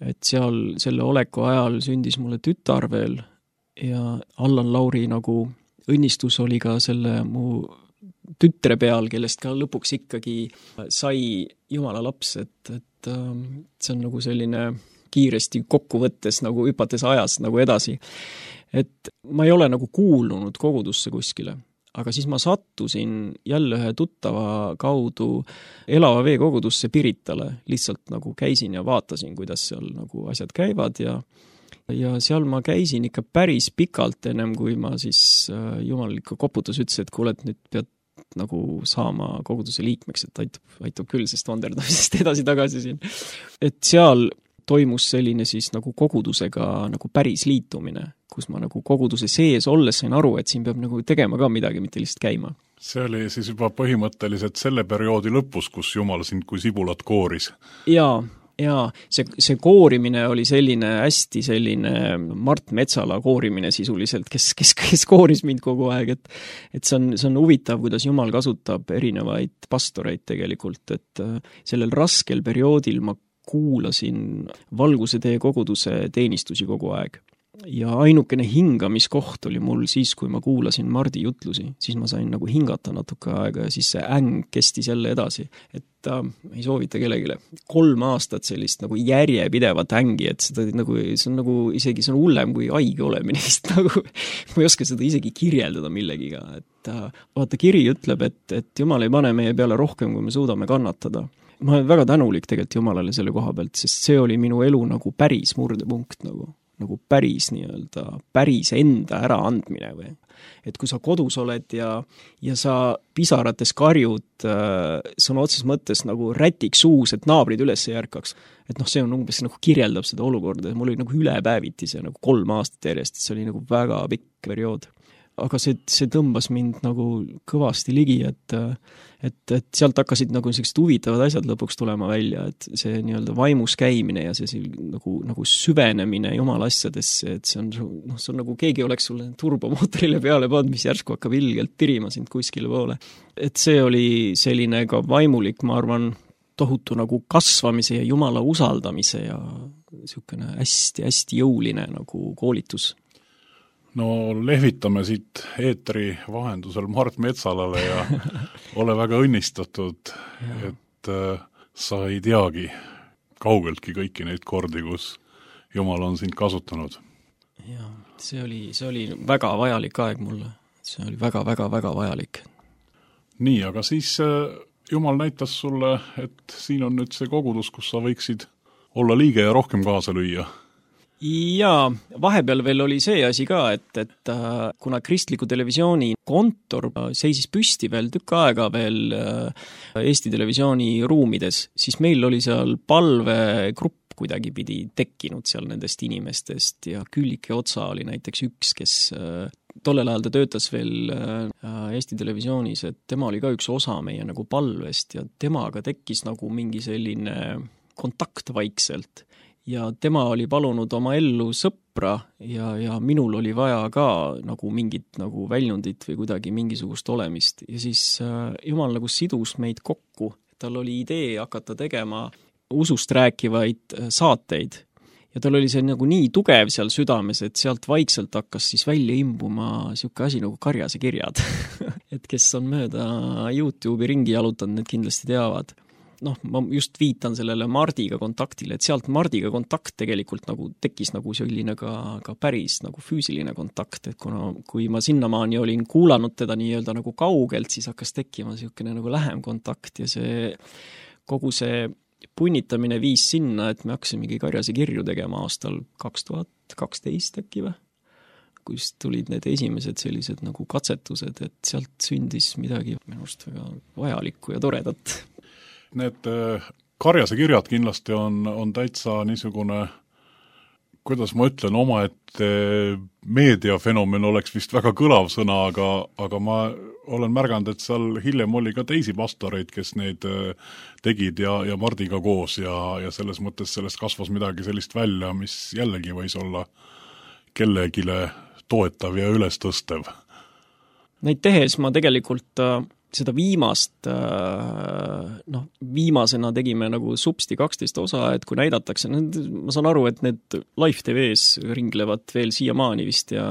Et seal selle oleku ajal sündis mulle tütar veel ja Allan Lauri nagu õnnistus oli ka selle mu tütre peal, kellest ka lõpuks ikkagi sai Jumala laps, et see on nagu selline kiiresti kokkuvõttes nagu hüpates ajas nagu edasi. Et ma ei ole nagu kuulunud kogudusse kuskile. Aga siis ma sattusin jälle ühe tuttava kaudu Elava Vee kogudusse Piritale. Lihtsalt nagu käisin ja vaatasin, kuidas seal nagu asjad käivad ja seal ma käisin ikka päris pikalt ennem, kui ma siis Jumal ikka koputas ütles, et kuule, et nüüd pead nagu saama koguduse liikmeks, et aitab küll, sest vanderdamisest edasi-tagasi siin. Et seal toimus selline siis nagu kogudusega nagu päris liitumine, kus ma nagu koguduse sees olles sain aru, et siin peab nagu tegema ka midagi, mitte lihtsalt käima. See oli siis juba põhimõtteliselt selle perioodi lõpus, kus Jumal sind kui sibulat kooris. Jaa, see koorimine oli hästi selline Mart Metsala koorimine sisuliselt, kes kooris mind kogu aeg, et see on huvitav, kuidas Jumal kasutab erinevaid pastoreid tegelikult, et sellel raskel perioodil ma kuulasin Valguse tee koguduse teenistusi kogu aeg. Ja ainukene hingamiskoht oli mul siis, kui ma kuulasin Mardi jutlusi, siis ma sain nagu hingata natuke aega ja siis see äng kestis jälle edasi. Et ei soovita kellegile 3 aastat sellist nagu järjepidevat ängi, et see on nagu isegi see on hullem kui haige olemine, nagu ma ei oska seda isegi kirjeldada millegiga. Et vaata, kiri ütleb, et Jumal ei pane meie peale rohkem, kui me suudame kannatada. Ma olen väga tänulik tegelikult Jumalale selle koha pealt, sest see oli minu elu nagu päris murdepunkt nagu päris päris enda äraandmine või. Et kui sa kodus oled ja sa pisarates karjud sõna otses mõttes nagu rätik suus, et naabrid üles ei ärkaks. Et see on umbes nagu kirjeldab seda olukorda, mul oli nagu ülepäeviti see nagu 3 aastat järjest, see oli nagu väga pikk periood. Aga see tõmbas mind nagu kõvasti ligi, et sealt hakkasid nagu sellised huvitavad asjad lõpuks tulema välja, et see nii-öelda vaimus käimine ja see nagu süvenemine Jumala asjadesse, et see on nagu keegi oleks sulle turbomootorile peale pannud, mis järsku hakkab ilgelt tirima sind kuskile poole. Et see oli selline ka vaimulik, ma arvan, tohutu nagu kasvamise ja Jumala usaldamise ja niisugune hästi-hästi jõuline nagu koolitus. No lehvitame siit eetri vahendusel Mart Metsalale ja ole väga õnnistatud, et sa ei teagi kaugeltki kõiki neid kordi, kus Jumal on sind kasutanud. Ja, see oli väga vajalik aeg mulle. See oli väga vajalik. Nii, aga siis Jumal näitas sulle, et siin on nüüd see kogudus, kus sa võiksid olla liige ja rohkem kaasa lüüa. Jaa, vahepeal veel oli see asi ka, et kuna Kristliku televisiooni kontor seisis püsti veel tükk aega veel Eesti Televisiooni ruumides, siis meil oli seal palvegrupp kuidagi pidi tekkinud seal nendest inimestest ja Küllike Otsa oli näiteks üks, kes tollel ajal ta töötas veel Eesti Televisioonis, et tema oli ka üks osa meie nagu palvest ja temaga tekkis nagu mingi selline kontakt vaikselt. Ja tema oli palunud oma ellu sõpra ja minul oli vaja ka nagu mingit nagu väljundit või kuidagi mingisugust olemist. Ja siis Jumal nagu sidus meid kokku. Tal oli idee hakata tegema usust rääkivaid saateid. Ja tal oli see nagu nii tugev seal südames, et sealt vaikselt hakkas siis välja imbuma siuke asi nagu Karjase kirjad. Et kes on mööda YouTube'i ringi jalutanud, need kindlasti teavad. Ma just viitan sellele Mardiga kontaktile, et sealt Mardiga kontakt tegelikult nagu tekkis nagu selline ka päris nagu füüsiline kontakt, et kui ma sinnamaani olin kuulanud teda nii-öelda nagu kaugelt, siis hakkas tekkima selline nagu lähem kontakt ja kogu see punnitamine viis sinna, et me hakkasimegi Karjase kirju tegema aastal 2012 äkki või? Kus tulid need esimesed sellised nagu katsetused, et sealt sündis midagi minust väga vajalikku ja toredat. Need Karjase kirjad kindlasti on täitsa niisugune, kuidas ma ütlen, omaette meediafenomen oleks vist väga kõlav sõna, aga ma olen märganud, et seal hiljem oli ka teisi pastoreid, kes neid tegid ja Mardiga koos ja selles mõttes sellest kasvas midagi sellist välja, mis jällegi võis olla kellegile toetav ja ülestõstev. Neid tehes ma tegelikult seda viimasena tegime nagu supsti 12 osa, et kui näidatakse, ma saan aru, et need Live TV-s ringlevad veel siiamaani vist ja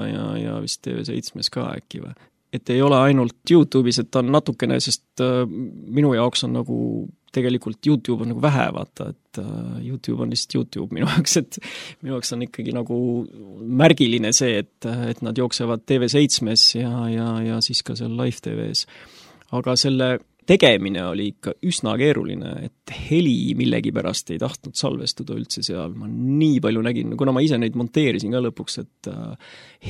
vist TV7-s ka äkki või. Et ei ole ainult YouTube'is, et ta on natukene, sest minu jaoks on nagu tegelikult YouTube on nagu vähe, vaata, et YouTube on lihtsalt YouTube minu jaoks, et minu jaoks on ikkagi nagu märgiline see, et nad jooksevad TV7-s ja siis ka seal Live TV-s. Aga selle tegemine oli ikka üsna keeruline, et heli millegi pärast ei tahtnud salvestuda üldse seal. Ma nii palju nägin, kuna ma ise neid monteerisin ka lõpuks, et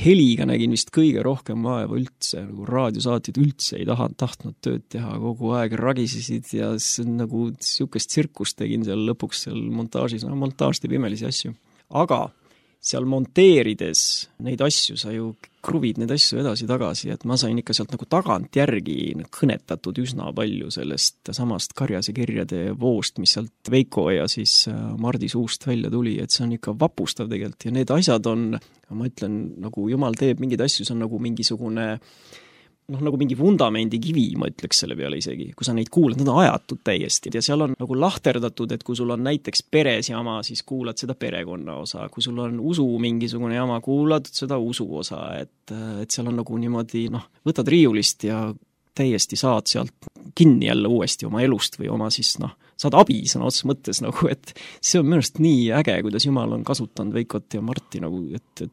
heliga nägin vist kõige rohkem vaeva üldse, nagu raadiosaatid üldse ei tahtnud tööd teha, kogu aeg ragisesid ja nagu niisugust tsirkust tegin seal lõpuks seal montaažis. Montaaž teeb imelisi asju. Aga seal monteerides neid asju, sa ju kruvid neid asju edasi-tagasi, et ma sain ikka sealt nagu tagantjärgi kõnetatud üsna palju sellest samast Karjase kirjade voost, mis sealt Veiko ja siis Mardi suust välja tuli, et see on ikka vapustav tegelikult ja need asjad on, ma ütlen, nagu jumal teeb mingeid asju, see on nagu mingisugune nagu mingi vundamendi kivi, ma ütleks selle peale isegi. Kui sa neid kuulad, nad on ajatud täiesti. Ja seal on nagu lahterdatud, et kui sul on näiteks peres jama, siis kuulad seda perekonna osa. Kui sul on usu mingisugune jama, kuulad seda usu osa. Et seal on nagu niimoodi, võtad riiulist ja täiesti saad sealt kinni jälle uuesti oma elust või oma siis, saad abi sõna otseses mõttes nagu, et see on minu arust nii äge, kuidas Jumal on kasutanud Veikot ja Marti nagu, et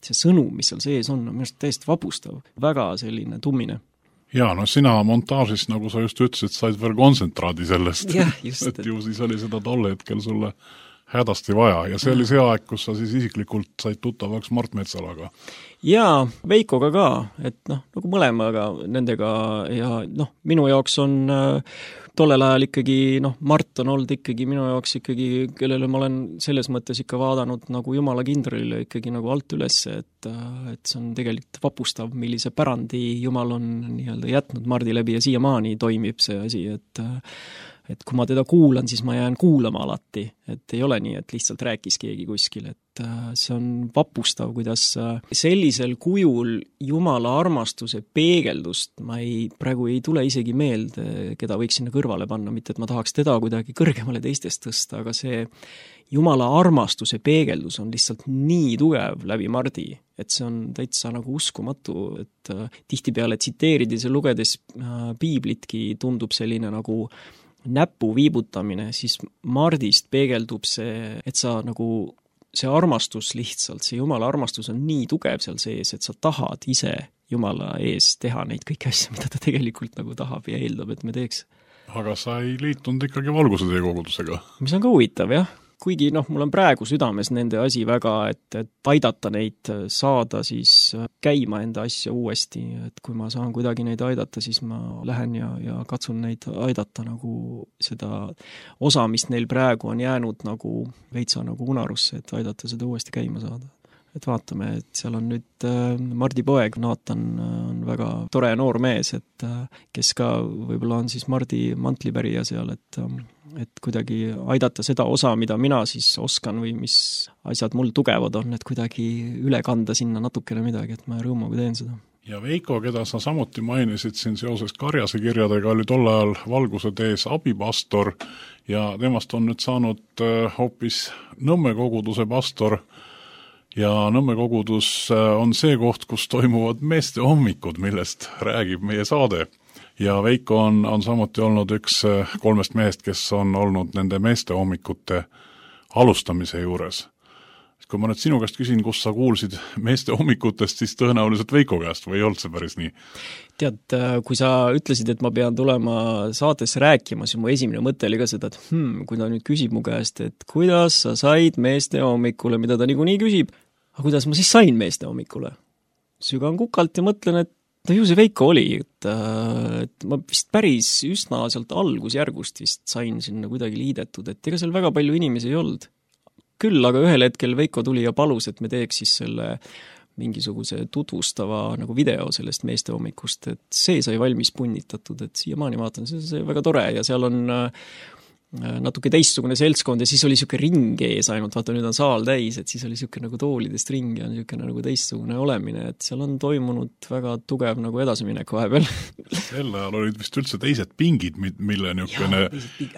see sõnum, mis seal sees on minu arust täiesti vapustav. Väga selline tummine. Jaa, sina montaažis, nagu sa just ütlesid, said veel kontsentraadi sellest. Jah, just. Et ju siis oli seda tolle hetkel sulle hädasti vaja ja see oli see aeg, kus sa siis isiklikult said tuttavaks Mart Metsalaga. Jaa, Veikoga ka, et nagu mõlemaga nendega ja minu jaoks on tollel ajal ikkagi, Mart on olnud ikkagi minu jaoks ikkagi, kellele ma olen selles mõttes ikka vaadanud nagu Jumala kindralile ikkagi nagu alt üles, et see on tegelikult vapustav, millise pärandi Jumal on nii-öelda jätnud Mardi läbi ja siiamaani toimib see asi, et kui ma teda kuulan, siis ma jään kuulama alati, et ei ole nii, et lihtsalt rääkis keegi kuskil, et see on vapustav, kuidas sellisel kujul Jumala armastuse peegeldust ma praegu ei tule isegi meelde, keda võiks sinna kõrvale panna, mitte et ma tahaks teda kuidagi kõrgemale teistest tõsta, aga see Jumala armastuse peegeldus on lihtsalt nii tugev läbi Mardi, et see on täitsa nagu uskumatu, et tihtipeale tsiteerides ja lugedes piiblitki tundub selline nagu näpu viibutamine, siis Mardist peegeldub see, et sa nagu, see armastus lihtsalt, see Jumala armastus on nii tugev seal sees, et sa tahad ise Jumala ees teha neid kõiki asju, mida ta tegelikult nagu tahab ja eeldab, et me teeks. Aga sa ei liitunud ikkagi Valguse tee kogudusega? Mis on ka huvitav, jah. Kuigi mul on praegu südames nende asi väga, et aidata neid saada siis käima enda asja uuesti, et kui ma saan kuidagi neid aidata, siis ma lähen ja katsun neid aidata nagu seda osa, mis neil praegu on jäänud nagu veitsa nagu unarusse, et aidata seda uuesti käima saada. Et vaatame, et seal on nüüd Mardi poeg, Naatan on väga tore noor mees, et kes ka võib-olla on siis Mardi mantlipärija seal, et kuidagi aidata seda osa, mida mina siis oskan või mis asjad mul tugevad on, et kuidagi üle kanda sinna natukene midagi, et ma rõõmuga teen seda. Ja Veiko, keda sa samuti mainisid siin seoses Karjase kirjadega, oli tol ajal Valguse tees abipastor ja temast on nüüd saanud hoopis Nõmme koguduse pastor. Ja Nõmme kogudus on see koht, kus toimuvad meeste hommikud, millest räägib meie saade. Ja Veiko on samuti olnud üks 3 mehest, kes on olnud nende meeste hommikute alustamise juures. Kui ma nüüd sinu käest küsin, kus sa kuulsid meeste hommikutest, siis tõenäoliselt Veiko käest või ei olnud see päris nii? Tead, kui sa ütlesid, et ma pean tulema saates rääkima, siis mu esimene mõte oli ka seda, et kui ta nüüd küsib mu käest, et kuidas sa said meeste hommikule, mida ta niikuinii küsib, aga kuidas ma siis sain meeste hommikule? Sügan kukalt ja mõtlen, et ju see Veiko oli, et ma vist päris üsna sealt algusjärgust vist sain sinna kuidagi liidetud, et ega seal väga palju inimesi ei olnud. Küll, aga ühel hetkel Veiko tuli ja palus, et me teeks siis selle mingisuguse tutvustava nagu video sellest meeste hommikust, et see sai valmis punnitatud, et siiamaani vaatan, see väga tore ja seal on natuke teistsugune seltskond ja siis oli siuke ring ees ainult, vaata nüüd on saal täis, et siis oli siuke nagu toolidest ring ja siuke nagu teistsugune olemine, et seal on toimunud väga tugev nagu edasiminek vahepeal. Sel ajal olid vist üldse teised pingid, mille niukene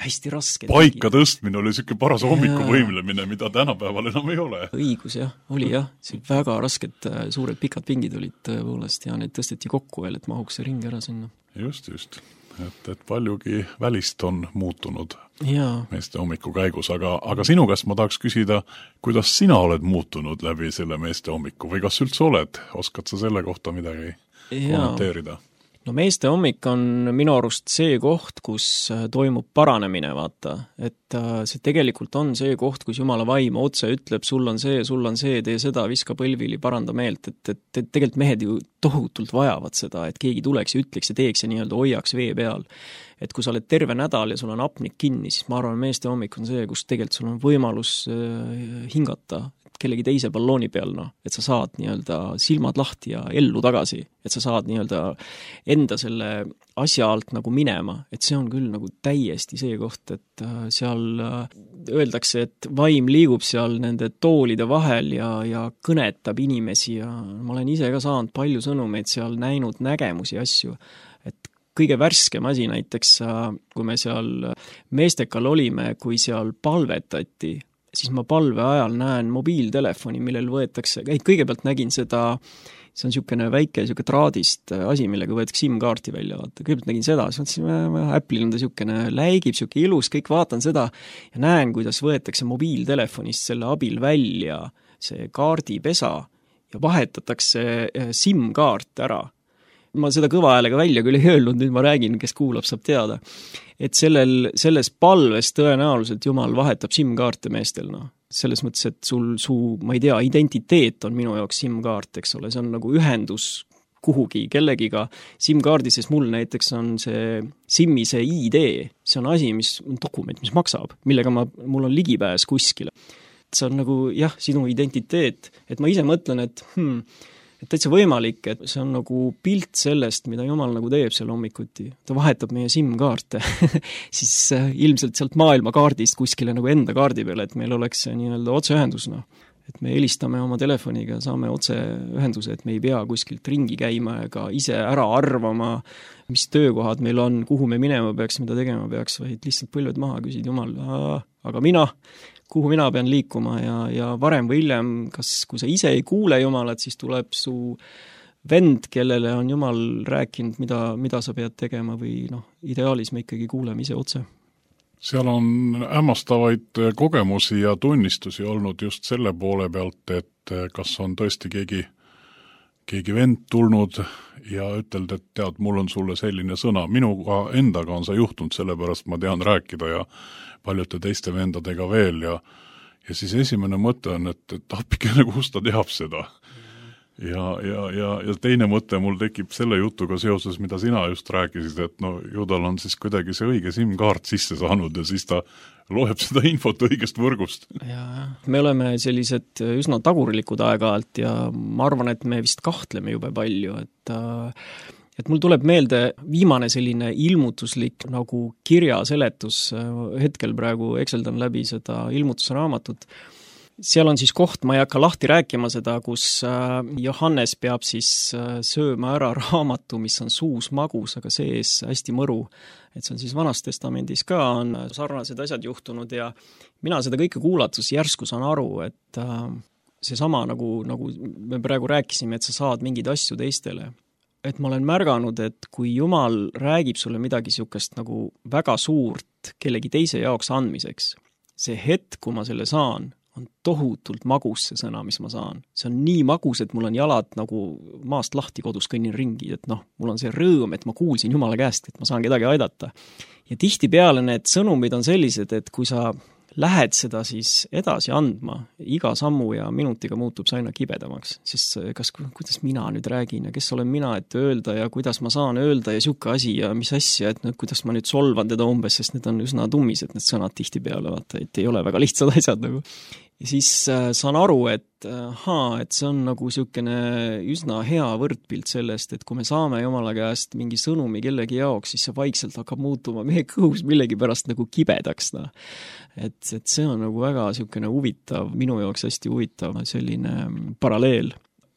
hästi raske paika tõstmine oli siuke paras hommikuvõimlemine, mida tänapäeval enam ei ole. Õigus jah, oli jah, see väga rasked suured pikad pingid olid tõepoolest ja need tõsteti kokku veel, et mahuks see ring ära sinna. Just. Et paljugi välist on muutunud meeste hommiku käigus, aga sinu käest ma tahaks küsida, kuidas sina oled muutunud läbi selle meeste hommiku või kas üldse oled? Oskad sa selle kohta midagi kommenteerida? No meeste hommik on minu arust see koht, kus toimub paranemine, vaata. Et see tegelikult on see koht, kus Jumala vaim otse ütleb, sul on see, tee seda, viska põlvili, paranda meelt. Et tegelikult mehed ju tohutult vajavad seda, et keegi tuleks ja ütleks ja teeks ja nii-öelda hoiaks vee peal. Et kui sa oled terve nädal ja sul on apnik kinni, siis ma arvan, meeste hommik on see, kus tegelikult sul on võimalus hingata. kellegi teise ballooni peal, et sa saad nii-öelda silmad lahti ja ellu tagasi, et sa saad nii-öelda enda selle asja alt nagu minema, et see on küll nagu täiesti see koht, et seal öeldakse, et vaim liigub seal nende toolide vahel ja kõnetab inimesi ja ma olen ise ka saanud palju sõnumeid seal, näinud nägemusi asju, et kõige värskem asi näiteks, kui me seal Meestekal olime, kui seal palvetati, siis ma palve ajal näen mobiiltelefoni, millel võetakse, kõigepealt nägin seda, see on niisugune väike traadist asi, millega võetakse SIM-kaarti välja, vaata. Kõigepealt nägin seda, siis mõtlesin, Apple'il on ta niisugune läigib, niisugune ilus, kõik vaatan seda ja näen, kuidas võetakse mobiiltelefonist selle abil välja see kaardipesa ja vahetatakse SIM-kaart ära. Ma seda kõva häälega välja küll ei öelnud, nüüd ma räägin, kes kuulab, saab teada. Et selles palves tõenäoliselt Jumal vahetab SIM-kaarte meestel, selles mõttes, et ma ei tea, identiteet on minu jaoks SIM-kaart, eks ole, see on nagu ühendus kuhugi kellegiga. SIM-kaardi, sest mul näiteks on see SIM-i see ID, see on asi, mis on dokument, mis maksab, millega mul on ligipääs kuskile. See on nagu, jah, sinu identiteet, et ma ise mõtlen, et täitsa võimalik, et see on nagu pilt sellest, mida Jumal nagu teeb seal hommikuti. Ta vahetab meie SIM-kaarte siis ilmselt sealt maailmakaardist kuskile nagu enda kaardi peale, et meil oleks see nii-öelda otseühendus, et me helistame oma telefoniga, saame otseühenduse, et me ei pea kuskilt ringi käima ega ise ära arvama, mis töökohad meil on, kuhu me minema peaks, mida tegema peaks, vaid lihtsalt põlved maha küsid Jumal, aga kuhu mina pean liikuma ja varem või hiljem, kui sa ise ei kuule Jumalat, siis tuleb su vend, kellele on Jumal rääkinud, mida sa pead tegema või ideaalis me ikkagi kuuleme ise otse. Seal on hämmastavaid kogemusi ja tunnistusi olnud just selle poole pealt, et kas on tõesti keegi vend tulnud ja ütelnud, et tead, mul on sulle selline sõna. Minuga endaga on see juhtunud, sellepärast ma tean rääkida ja paljude teiste vendadega veel ja siis esimene mõte on, et appikene, kus ta teab seda. Ja teine mõte mul tekib selle jutuga seoses, mida sina just rääkisid, et ju tal on siis kuidagi see õige SIM-kaart sisse saanud ja siis ta loeb seda infot õigest võrgust. Ja, me oleme sellised üsna tagurlikud aeg-ajalt ja ma arvan, et me vist kahtleme jube palju, et mul tuleb meelde viimane selline ilmutuslik nagu kirjaseletus, hetkel praegu ekseldan läbi seda ilmutusraamatut. Seal on siis koht, ma ei hakka lahti rääkima seda, kus Johannes peab siis sööma ära raamatu, mis on suus magus, aga sees hästi mõru. Et see on siis Vanas Testamendis ka, on sarnased asjad juhtunud ja mina seda kõike kuulatus järsku saan aru, et see sama nagu me praegu rääkisime, et sa saad mingeid asju teistele. Et ma olen märganud, et kui Jumal räägib sulle midagi niisugust nagu väga suurt kellegi teise jaoks andmiseks, see hetk, kui ma selle saan, on tohutult magus see sõna, mis ma saan. See on nii magus, et mul on jalad nagu maast lahti kodus kõnnin ringi, et mul on see rõõm, et ma kuulsin Jumala käest, et ma saan kedagi aidata. Ja tihtipeale need sõnumid on sellised, et kui sa lähed seda siis edasi andma, iga sammu ja minutiga muutub see aina kibedamaks, sest kuidas mina nüüd räägin ja kes olen mina, et öelda ja kuidas ma saan öelda ja siuke asi ja mis asja, et kuidas ma nüüd solvan teda umbes, sest need on üsna tummised need sõnad tihtipeale, vaata, et ei ole väga lihtsad asjad nagu. Ja siis saan aru, et see on nagu niisugune üsna hea võrdpilt sellest, et kui me saame Jumala käest mingi sõnumi kellegi jaoks, siis see vaikselt hakkab muutuma meie kõhus millegi pärast nagu kibedaks. Et see on nagu väga niisugune huvitav, minu jaoks hästi huvitav selline paralleel.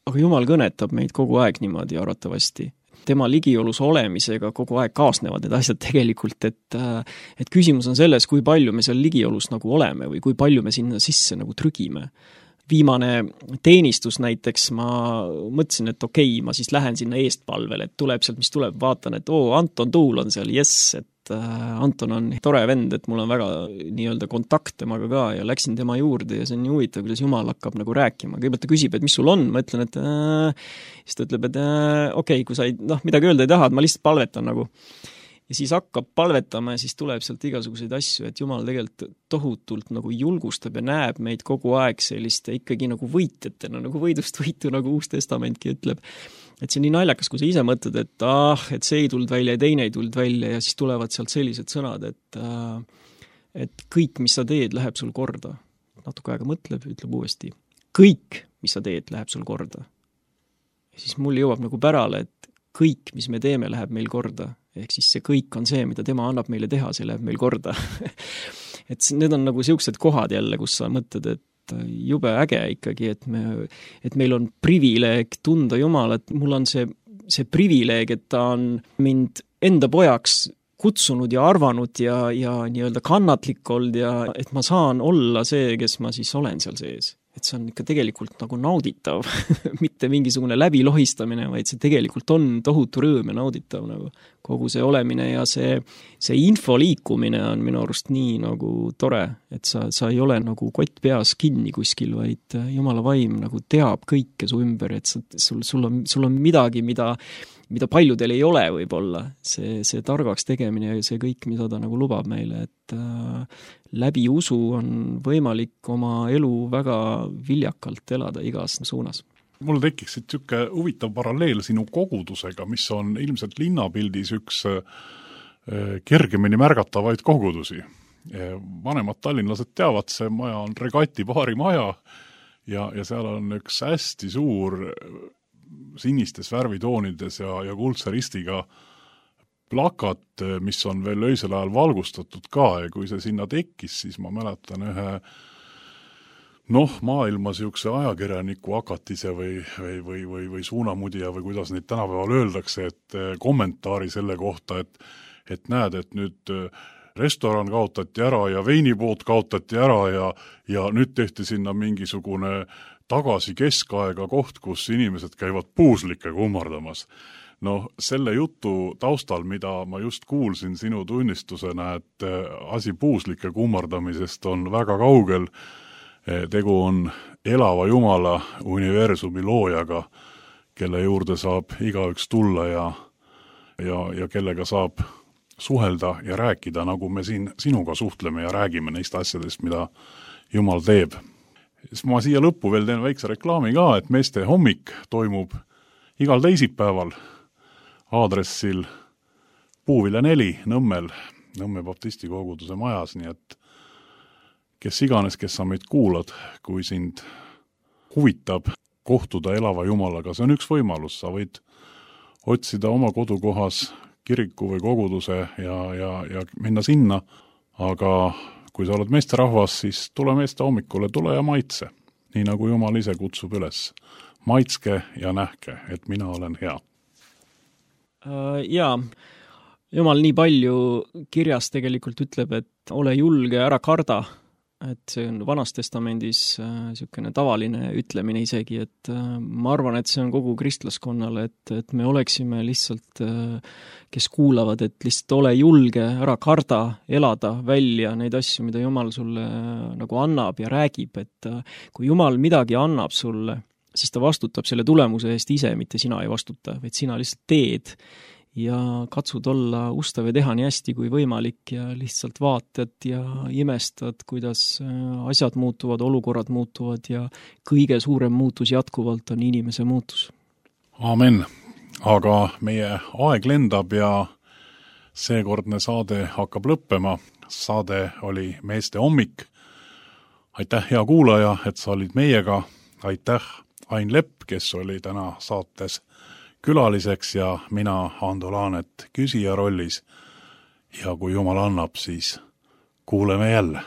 Aga Jumal kõnetab meid kogu aeg niimoodi arvatavasti. Tema ligiolus olemisega kogu aeg kaasnevad need asjad tegelikult, et küsimus on selles, kui palju me seal ligiolus nagu oleme või kui palju me sinna sisse nagu trügime. Viimane teenistus näiteks ma mõtlesin, et okei, ma siis lähen sinna eestpalvele, et tuleb sealt, mis tuleb, vaatan, et Anton Tuul on seal, et Anton on tore vend, et mul on väga nii-öelda kontakt temaga ka ja läksin tema juurde ja see on nii huvitav, kuidas Jumal hakkab nagu rääkima. Kõigepealt ta küsib, et mis sul on, ma ütlen, et siis ta ütleb, et okei, kui sa midagi öelda ei taha, et ma lihtsalt palvetan nagu. Ja siis hakkab palvetama ja siis tuleb sealt igasuguseid asju, et Jumal tegelikult tohutult nagu julgustab ja näeb meid kogu aeg selliste ikkagi nagu võitjatena, nagu võidust võitu, nagu Uus Testamentki ütleb. Et see on nii naljakas, kui sa ise mõtled, et see ei tulnud välja ja teine ei tulnud välja ja siis tulevad sealt sellised sõnad, et kõik, mis sa teed, läheb sul korda. Natuke aega mõtleb, ütleb uuesti. kõik, mis sa teed, läheb sul korda. Ja siis mul jõuab nagu pärale, et kõik, mis me teeme, läheb meil korda. Ehk siis see kõik on see, mida tema annab meile teha, see läheb meil korda. Et need on nagu siuksed kohad jälle, kus sa mõtled, et jube äge ikkagi, et meil on privileeg tunda Jumalat. Mul on see privileeg, et ta on mind enda pojaks kutsunud ja arvanud ja nii-öelda kannatlik olnud ja et ma saan olla see, kes ma siis olen seal sees. Et see on ikka tegelikult nagu nauditav, mitte mingisugune läbilohistamine, vaid see tegelikult on tohutu rõõm ja nauditav nagu kogu see olemine ja see info liikumine on minu arust nii nagu tore, et sa ei ole nagu kott peas kinni kuskil, vaid Jumala vaim nagu teab kõike su ümber, et sul on midagi, mida paljudel ei ole võib-olla, see targaks tegemine ja see kõik, mida ta nagu lubab meile, et läbi usu on võimalik oma elu väga viljakalt elada igas suunas. Mul tekiks siuke huvitav paralleel sinu kogudusega, mis on ilmselt linnapildis üks kergemini märgatavaid kogudusi. Vanemad tallinlased teavad, see maja on Regati baari maja ja seal on üks hästi suur sinistes värvitoonides ja kuldse ristiga plakat, mis on veel öisel ajal valgustatud ka ja kui see sinna tekkis, siis ma mäletan ühe maailmas siukse ajakirjaniku akatise või suunamudija või kuidas neid tänapäeval öeldakse, et kommentaari selle kohta, et näed, et nüüd restoran kaotati ära ja veinipood kaotati ära ja nüüd tehti sinna mingisugune tagasi keskaega koht, kus inimesed käivad puuslikke kummardamas. Selle jutu taustal, mida ma just kuulsin sinu tunnistusena, et asi puuslike kummardamisest on väga kaugel, tegu on elava Jumala universumi loojaga, kelle juurde saab igaüks tulla ja kellega saab suhelda ja rääkida, nagu me siin sinuga suhtleme ja räägime neist asjadest, mida Jumal teeb. Siis ma siia lõppu veel teen väikse reklaami ka, et Meeste hommik toimub igal teisipäeval aadressil Puuvilla 4 Nõmmel, Nõmme baptisti koguduse majas, nii et kes iganes, kes sa meid kuulad, kui sind huvitab kohtuda elava Jumalaga, see on üks võimalus, sa võid otsida oma kodukohas kiriku või koguduse ja minna sinna, aga kui sa oled meesterahvas, siis tule Meeste hommikule, tule ja maitse, nii nagu Jumal ise kutsub üles. Maitske ja nähke, et mina olen hea. Jaa, Jumal nii palju kirjas tegelikult ütleb, et ole julge, ära karda, et see on Vanas Testamendis niisugune tavaline ütlemine isegi, et ma arvan, et see on kogu kristlaskonnale, et me oleksime lihtsalt, kes kuulavad, et lihtsalt ole julge, ära karda, elada välja neid asju, mida Jumal sulle nagu annab ja räägib, et kui Jumal midagi annab sulle, siis ta vastutab selle tulemuse eest ise, mitte sina ei vastuta, vaid sina lihtsalt teed ja katsud olla ustav ja teha nii hästi kui võimalik ja lihtsalt vaatad ja imestad, kuidas asjad muutuvad, olukorrad muutuvad ja kõige suurem muutus jätkuvalt on inimese muutus. Aamen. Aga meie aeg lendab ja seekordne saade hakkab lõppema. Saade oli Meeste hommik. Aitäh, hea kuulaja, et sa olid meiega. Aitäh, Ain Lepp, kes oli täna saates külaliseks ja mina, Ando Laanet, küsija rollis. Ja kui Jumal annab, siis kuuleme jälle.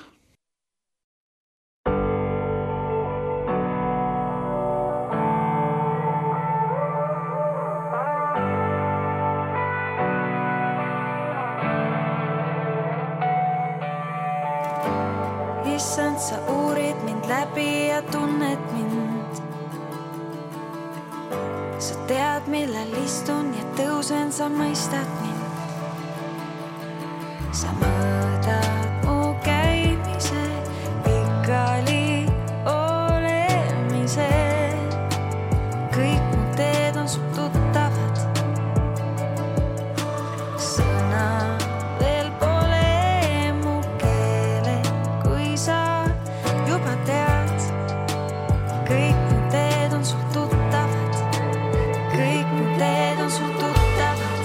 Issand, sa uurid mind läbi ja tunned mind. Sa tead, millal istun ja tõusen, sa mõistad mind. Sa mõõdad mu käimise, pikali olemise. Kõik mu teed on su tuttavad. Sõna veel pole mu keele, kui sa juba tead. Kõik mu teed on su tuttavad. Kõik mu teed on sul tuttavad.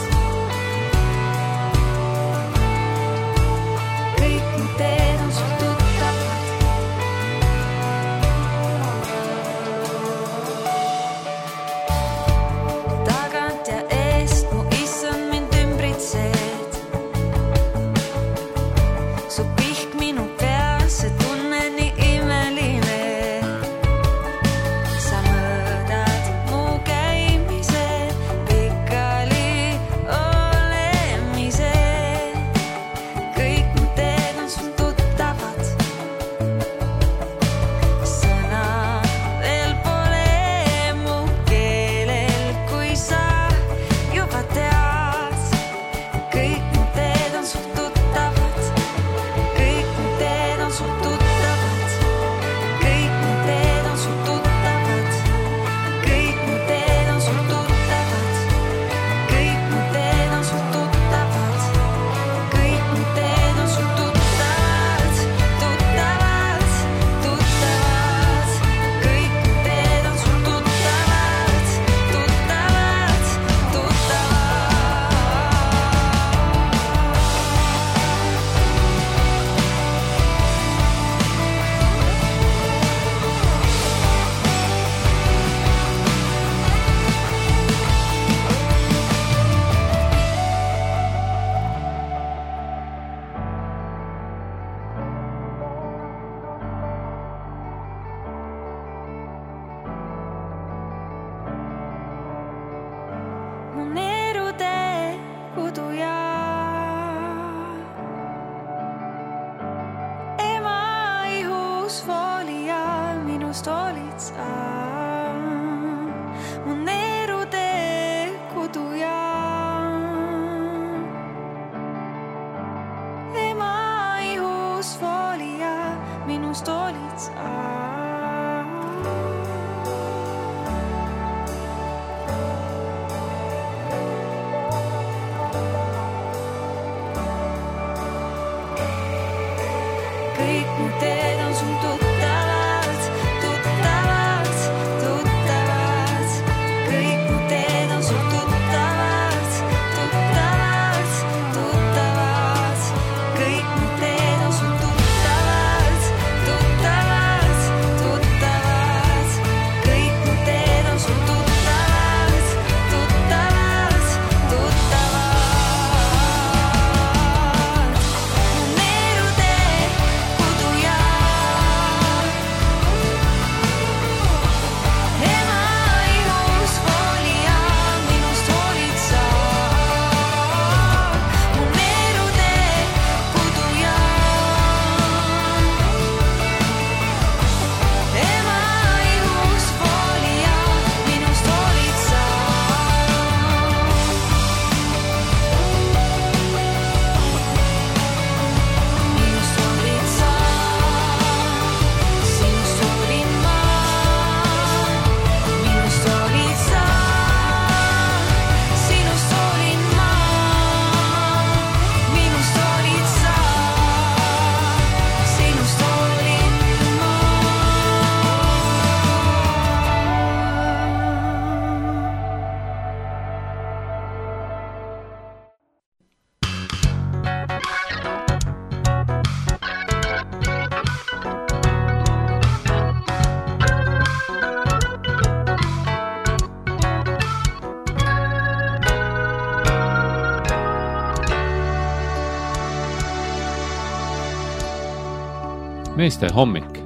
olid sa mu neerude kodu ja ema ihus voolija, minust olid sa. Kõik mu teed on sul tuttavad, tuttavad, tuttavad. Kõik mu teed on sul tuttavad, tuttavad, tuttavad. Kõik mu teed on sul tuttavad, tuttavad, tuttavad. Kõik mu teed on sul tuttavad, tuttavad, tuttavad. Mu neerude kodu ja ema ihus voolija, minust olid sa. Mu neerude kodu ja ema ihus voolija, minust olid sa. Minust olid sa, sinust olin ma. Minust olid sa, sinust olin ma. Minust olid sa, sinust olin ma. meeste hommik.